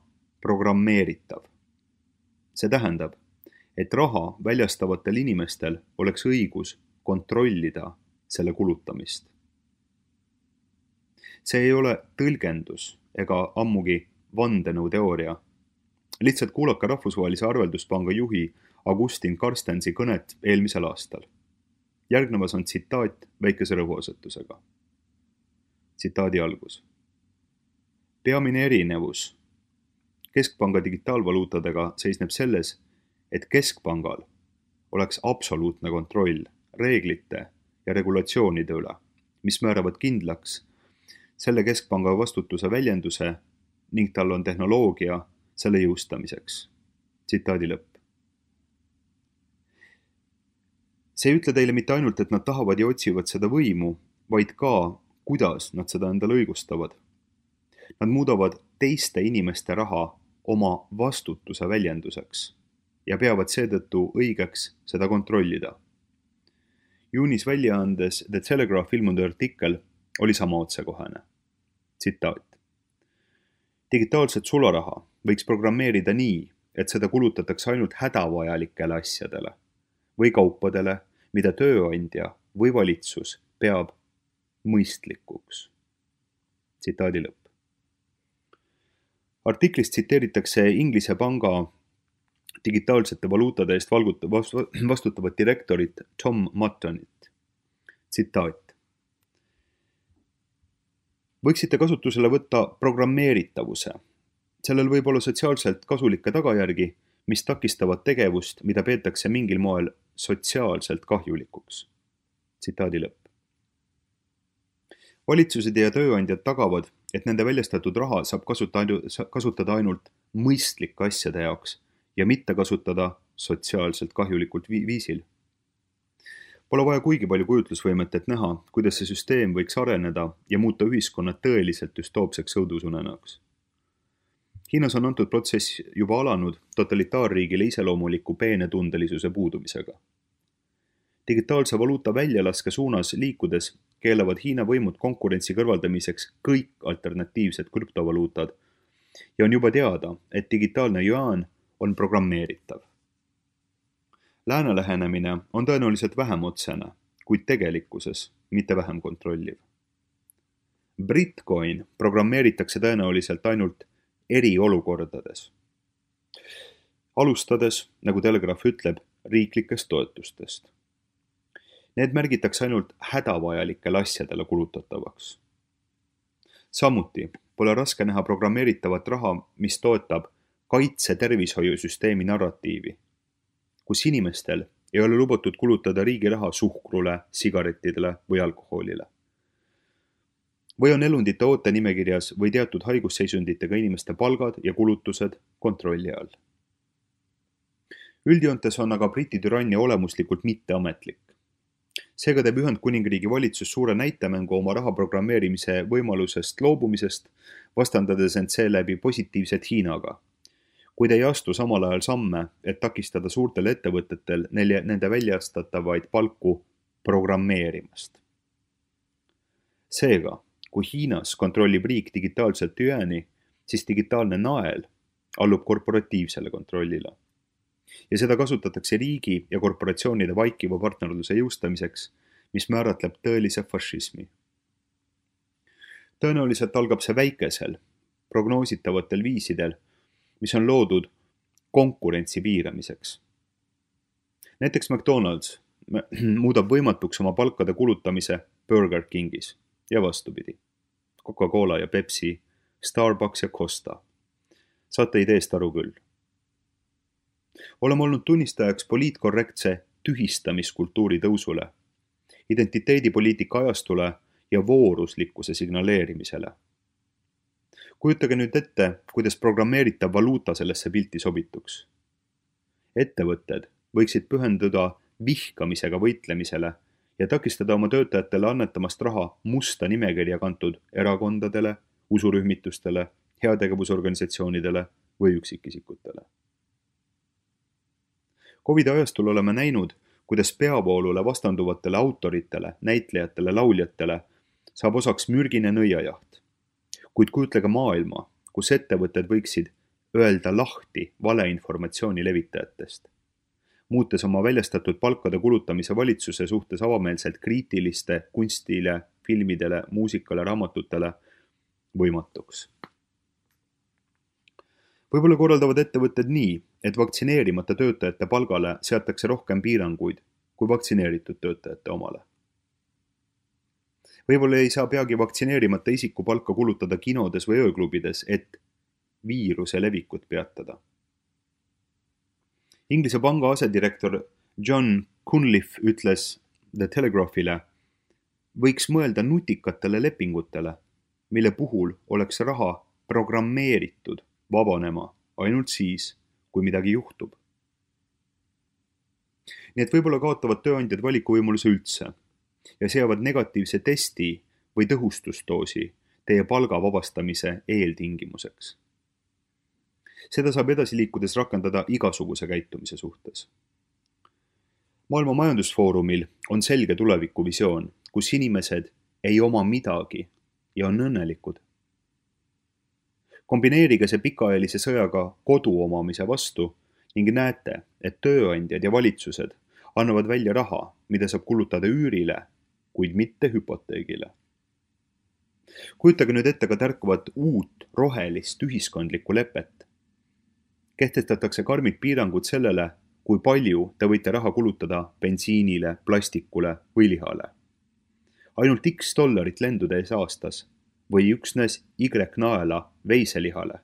programmeeritav. See tähendab, et raha väljastavatel inimestel oleks õigus kontrollida selle kulutamist. See ei ole tõlgendus ega ammugi vandenõuteooria. Lihtsalt kuulake Rahvusvahelise Arvelduspanga juhi Augustin Carstensi kõnet eelmisel aastal. Järgnevas on tsitaat väikese rõhuasetusega. Tsitaadi algus. Peamine erinevus keskpanga digitaalvaluutadega seisneb selles, et keskpangal oleks absoluutne kontroll reeglite ja regulatsioonide üle, mis määravad kindlaks selle keskpanga vastutuse väljenduse ning tal on tehnoloogia selle jõustamiseks. Tsitaadi lõpp. See ei ütle teile mitte ainult, et nad tahavad ja otsivad seda võimu, vaid ka, kuidas nad seda endale õigustavad. Nad muudavad teiste inimeste raha oma vastutuse väljenduseks ja peavad seetõttu õigeks seda kontrollida. Juunis väljaandes The Telegraph ilmunud artikkel oli sama otsekohene. Tsitaat. Digitaalset sularaha võiks programmeerida nii, et seda kulutatakse ainult hädavajalikele asjadele või kaupadele, mida tööandja või valitsus peab mõistlikuks. Tsitaadi lõpp. Artiklis tsiteeritakse Inglise panga digitaalsete valuutade eest vastutavat direktorit Tom Muttonit. Tsitaat. Võiksite kasutusele võtta programmeeritavuse. Sellel võib olla sotsiaalselt kasulikke tagajärgi, mis takistavad tegevust, mida peetakse mingil moel sotsiaalselt kahjulikuks. Tsitaadi lõpp. Valitsused ja tööandjad tagavad, et nende väljastatud raha saab kasutada ainult mõistlike asjade jaoks ja mitte kasutada sotsiaalselt kahjulikult viisil. Pole vaja kuigi palju kujutlusvõimet, et näha, kuidas see süsteem võiks areneda ja muuta ühiskonna tõeliselt düstoopseks õudusunenäoks. Hiinas on antud protsess juba alanud totalitaarriigile iseloomuliku peenetundelisuse puudumisega. Digitaalse valuuta väljalaske suunas liikudes keelavad Hiina võimud konkurentsi kõrvaldamiseks kõik alternatiivsed krüptovaluutad ja on juba teada, et digitaalne juaan on programmeeritav. Lääne lähenemine on tõenäoliselt vähem otsene, kuid tegelikkuses mitte vähem kontrolliv. Bitcoin programmeeritakse tõenäoliselt ainult eriolukordades. Alustades, nagu Telegraph ütleb, riiklikest toetustest. Need märgitakse ainult hädavajalikele asjadele kulutatavaks. Samuti pole raske näha programmeeritavat raha, mis toetab kaitse tervishoiusüsteemi narratiivi, kus inimestel ei ole lubatud kulutada riigi raha suhkrule, sigarettidele või alkoholile. Või on elundite ootenimekirjas või teatud haigusseisunditega inimeste palgad ja kulutused kontrolli all. Üldjoontes on aga Briti türannia olemuslikult mitteametlik. Seega teeb Ühendkuningriigi valitsus suure näitemängu oma raha programmeerimise võimalusest loobumisest, vastandades end seeläbi positiivselt Hiinaga, kuid ei astu samal ajal samme, et takistada suurtel ettevõtetel nende väljastatavaid palku programmeerimast. Seega, kui Hiinas kontrollib riik digitaalselt yuani, siis digitaalne nael allub korporatiivsele kontrollile. Ja seda kasutatakse riigi ja korporatsioonide vaikiva partnerluse jõustamiseks, mis määratleb tõelise fašismi. Tõenäoliselt algab see väikesel, prognoositavatel viisidel, mis on loodud konkurentsi piiramiseks. Näiteks McDonald's muudab võimatuks oma palkade kulutamise Burger Kingis ja vastupidi. Coca-Cola ja Pepsi, Starbucks ja Costa. Saate ideest aru küll. Oleme olnud tunnistajaks poliitkorrektse tühistamiskultuuri tõusule, identiteedipoliitika ajastule ja vooruslikkuse signaleerimisele. Kujutage nüüd ette, kuidas programmeeritav valuuta sellesse pilti sobituks. Ettevõtted võiksid pühenduda vihkamisega võitlemisele ja takistada oma töötajatele annetamast raha musta nimekirja kantud erakondadele, usurühmitustele, heategevusorganisatsioonidele või üksikisikutele. COVID ajastul oleme näinud, kuidas peavoolule vastanduvatele autoritele, näitlejatele, lauljatele saab osaks mürgine nõiajaht. Kuid kujutlege maailma, kus ettevõtted võiksid öelda lahti valeinformatsiooni levitajatest, muutes oma väljastatud palkade kulutamise valitsuse suhtes avameelselt kriitiliste kunstile, filmidele, muusikale, raamatutele võimatuks. Võib-olla korraldavad ettevõtted nii, et vaktsineerimata töötajate palgale seatakse rohkem piiranguid kui vaktsineeritud töötajate omale. Võib-olla ei saa peagi vaktsineerimata isiku palka kulutada kinodes või ööklubides, et viiruse levikut peatada. Inglise panga asedirektor John Cunliffe ütles The Telegraphile, võiks mõelda nutikatele lepingutele, mille puhul oleks raha programmeeritud vabanema ainult siis, kui midagi juhtub. Nii et võib-olla kaotavad tööandjad valikuvõimaluse üldse ja seavad negatiivse testi või tõhustusdoosi teie palga vabastamise eeltingimuseks. Seda saab edasi liikudes rakendada igasuguse käitumise suhtes. Maailma Majandusfoorumil on selge tulevikuvisioon, kus inimesed ei oma midagi ja on õnnelikud. Kombineerige see pikaajalise sõjaga kodu omamise vastu ning näete, et tööandjad ja valitsused annavad välja raha, mida saab kulutada üürile, kuid mitte hüpoteegile. Kujutage nüüd ette ka tärkavat uut rohelist ühiskondlikku lepet. Kehtestatakse karmid piirangud sellele, kui palju te võite raha kulutada bensiinile, plastikule või lihale. Ainult X dollarit lendude ees aastas või üksnes Y naela veiselihale.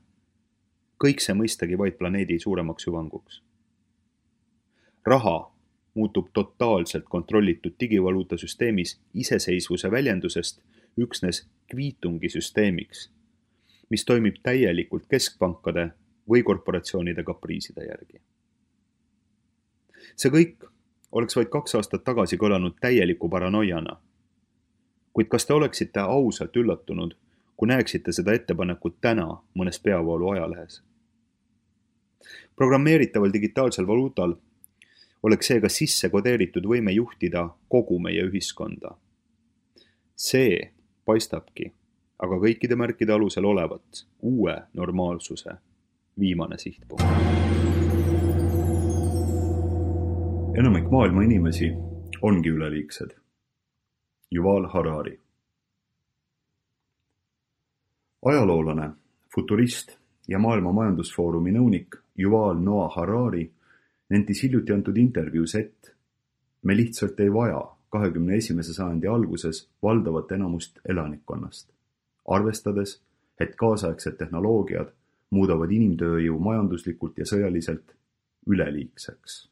Kõik see mõistagi vaid planeedi suuremaks hüvanguks. Raha muutub totaalselt kontrollitud digivaluutasüsteemis iseseisvuse väljendusest üksnes kviitungisüsteemiks, mis toimib täielikult keskpankade või korporatsioonide kapriiside järgi. See kõik oleks vaid 2 aastat tagasi kõlanud täieliku paranoiana. Kuid kas te oleksite ausalt üllatunud, kui näeksite seda ettepanekut täna mõnes peavoolu ajalehes? Programmeeritaval digitaalsel valuutal oleks seega sisse kodeeritud võime juhtida kogu meie ühiskonda. See paistabki, aga kõikide märkide alusel olevat uue normaalsuse viimane sihtpunkt. Enamik maailma inimesi ongi üleliigsed. Yuval Harari. Ajaloolane, futurist ja Maailma Majandusfoorumi nõunik Yuval Noah Harari nentis hiljuti antud intervjuus, et me lihtsalt ei vaja 21. sajandi alguses valdavat enamust elanikkonnast, arvestades, et kaasaegsed tehnoloogiad muudavad inimtööjõu majanduslikult ja sõjaliselt üleliigseks.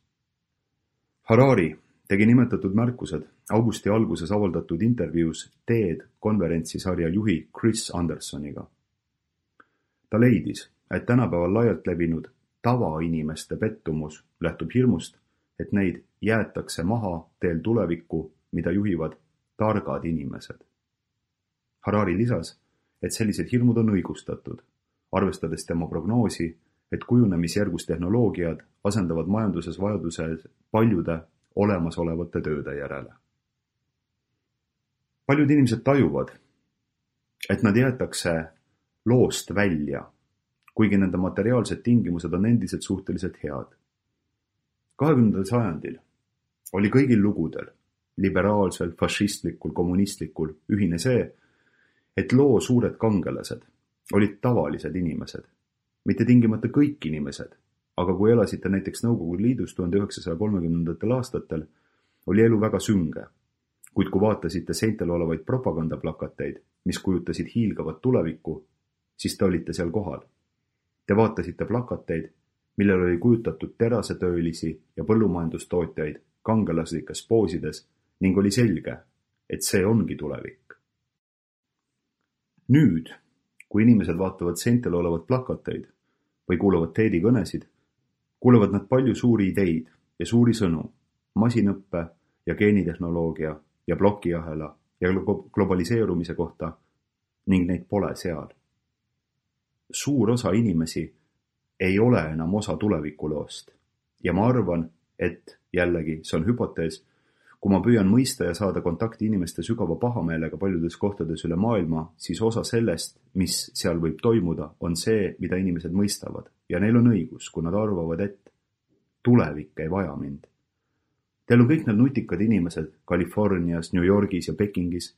Harari tegi nimetatud märkused augusti alguses avaldatud intervjuus TED konverentsisarja juhi Chris Andersoniga. Ta leidis, et tänapäeval laialt levinud tavainimeste pettumus lähtub hirmust, et neid jäetakse maha teel tulevikku, mida juhivad targad inimesed. Harari lisas, et sellised hirmud on õigustatud, arvestades tema prognoosi, et kujunemisjärgus tehnoloogiad asendavad majanduses vajaduse paljude olemasolevate tööde järele. Paljud inimesed tajuvad, et nad jäetakse loost välja, kuigi nende materiaalsed tingimused on endiselt suhteliselt head. 20. sajandil oli kõigil lugudel, liberaalsel, fašistlikul, kommunistlikul, ühine see, et loo suured kangelased olid tavalised inimesed, mitte tingimata kõik inimesed, aga kui elasite näiteks Nõukogude Liidus 1930. aastatel, oli elu väga sünge, kuid kui vaatasite seintel olevaid propagandaplakateid, mis kujutasid hiilgavat tulevikku, siis te olite seal kohal. Te vaatasite plakateid, millel oli kujutatud terasetöölisi ja põllumajandustootjaid kangelaslikes poosides ning oli selge, et see ongi tulevik. Nüüd, kui inimesed vaatavad seintel olevat plakateid või kuulavad TED-i kõnesid, kuulevad nad palju suuri ideid ja suuri sõnu, masinõppe ja geenitehnoloogia ja plokiahela ja globaliseerumise kohta ning neid pole seal. Suur osa inimesi ei ole enam osa tulevikuloost ja ma arvan, et jällegi see on hüpotees, kui ma püüan mõista ja saada kontakti inimeste sügava pahameelega paljudes kohtades üle maailma, siis osa sellest, mis seal võib toimuda, on see, mida inimesed mõistavad ja neil on õigus, kui nad arvavad, et tulevik ei vaja mind. Teil on kõik need nutikad inimesed Californias, New Yorgis ja Pekingis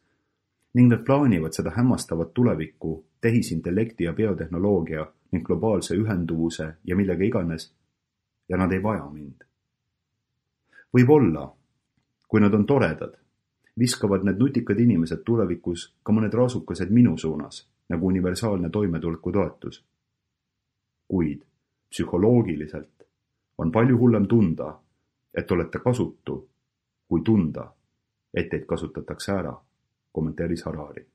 ning nad plaanivad seda hämmastavat tulevikku tehisintellekti ja biotehnoloogia ning globaalse ühenduvuse ja millega iganes ja nad ei vaja mind. Võib-olla, kui nad on toredad, viskavad need nutikad inimesed tulevikus ka mõned raasukased minu suunas, nagu universaalne toimetulekutoetus. Kuid psühholoogiliselt on palju hullem tunda, et olete kasutu, kui tunda, et teid kasutatakse ära, kommenteeris Harari.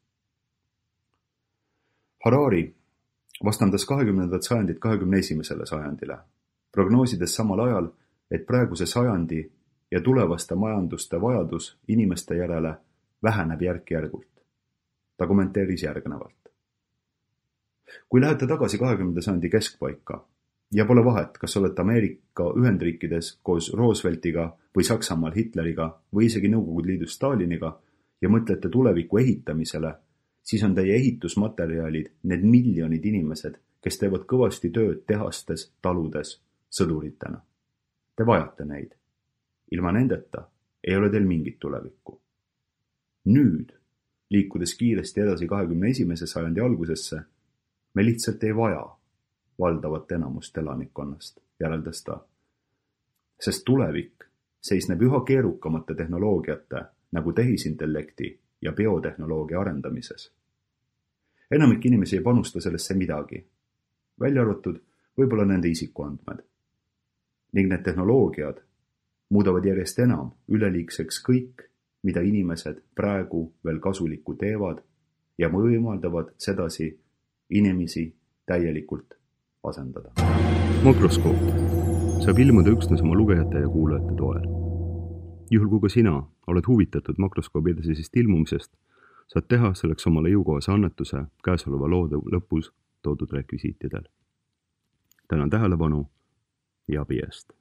Harari vastandas 20. sajandit 21. sajandile, prognoosides samal ajal, et praeguse sajandi ja tulevaste majanduste vajadus inimeste järele väheneb järk-järgult. Ta kommenteeris järgnevalt. Kui lähete tagasi 20. sajandi keskpaika ja pole vahet, kas olete Ameerika Ühendriikides koos Rooseveltiga või Saksamaal Hitleriga või isegi Nõukogude Liidus Staliniga ja mõtlete tuleviku ehitamisele, siis on teie ehitusmaterjalid need miljonid inimesed, kes teevad kõvasti tööd tehastes, taludes, sõduritena. Te vajate neid. Ilma nendeta ei ole teil mingit tulevikku. Nüüd, liikudes kiiresti edasi 21. sajandi algusesse, me lihtsalt ei vaja valdavat enamust elanikkonnast, järeldas ta. Sest tulevik seisneb üha keerukamate tehnoloogiate nagu tehisintellekti ja biotehnoloogia arendamises. Enamik inimesi ei panusta sellesse midagi, välja arvatud võib-olla nende isikuandmed. Ning need tehnoloogiad muudavad järjest enam üleliigseks kõik, mida inimesed praegu veel kasulikku teevad ja võimaldavad sedasi inimesi täielikult asendada. Makroskoop saab ilmuda üksnes oma lugejate ja kuulajate toel. Juhul kui ka sina oled huvitatud makroskoobi edasisest ilmumisest, saad teha selleks omale jõukohase annetuse käesoleva loode lõpus toodud rekvisiitidel. Tänan tähelepanu ja abi eest.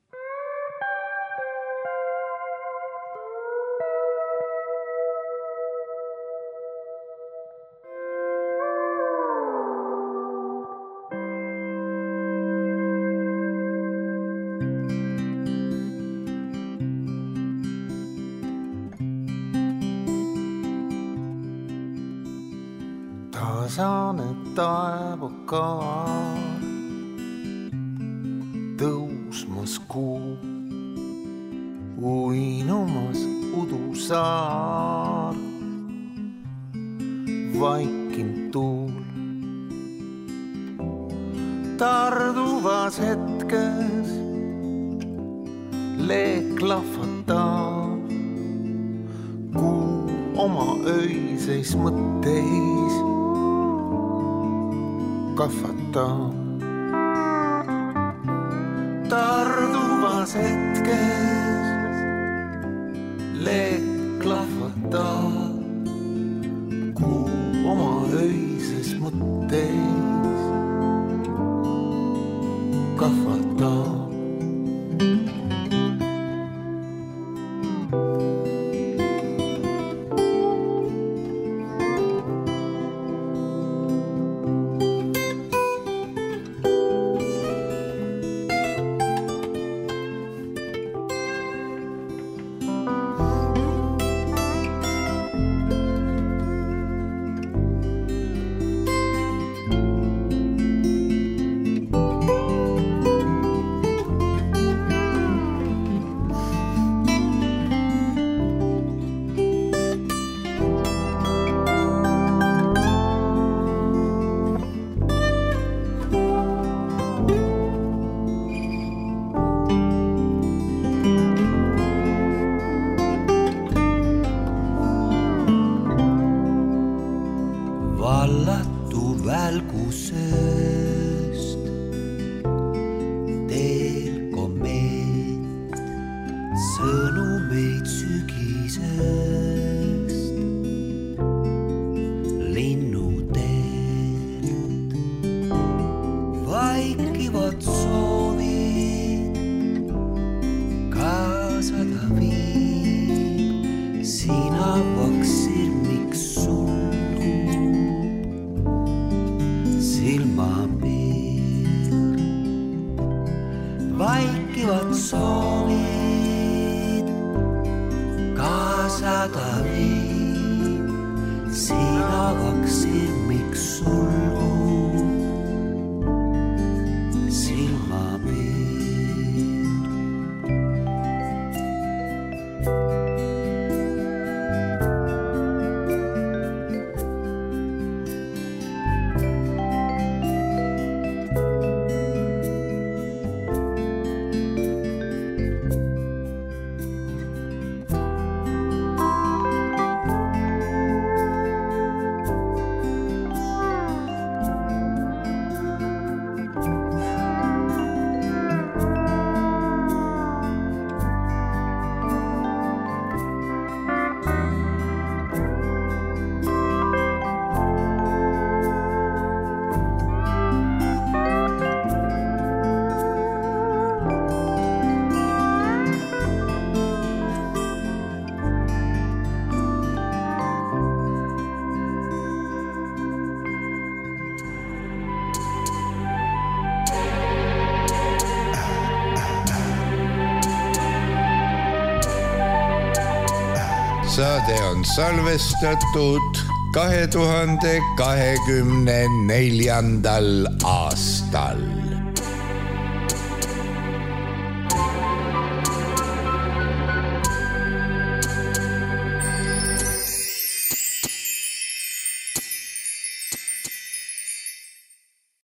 Tasane taevukaar, tõusmas kuu, uinumas udusaar, vaikinud tuul. Tarduvas hetkes leek lahvatab, kuu oma öiseis mõtteis kahvatab. Tarduvas hetkes leek lahvatab, kuu oma öises mõtteis kahvatab. Vallatu välgusest teel komeet, sõnumeid sügisest, linnuteelt, vaikivad soovid kaasada viib, sina vaksil miks sul silmapilk, vaikivad soovid kaasada viib, sina vaksil miks sulgu silmapilk.
Saade on salvestatud 2024. aastal.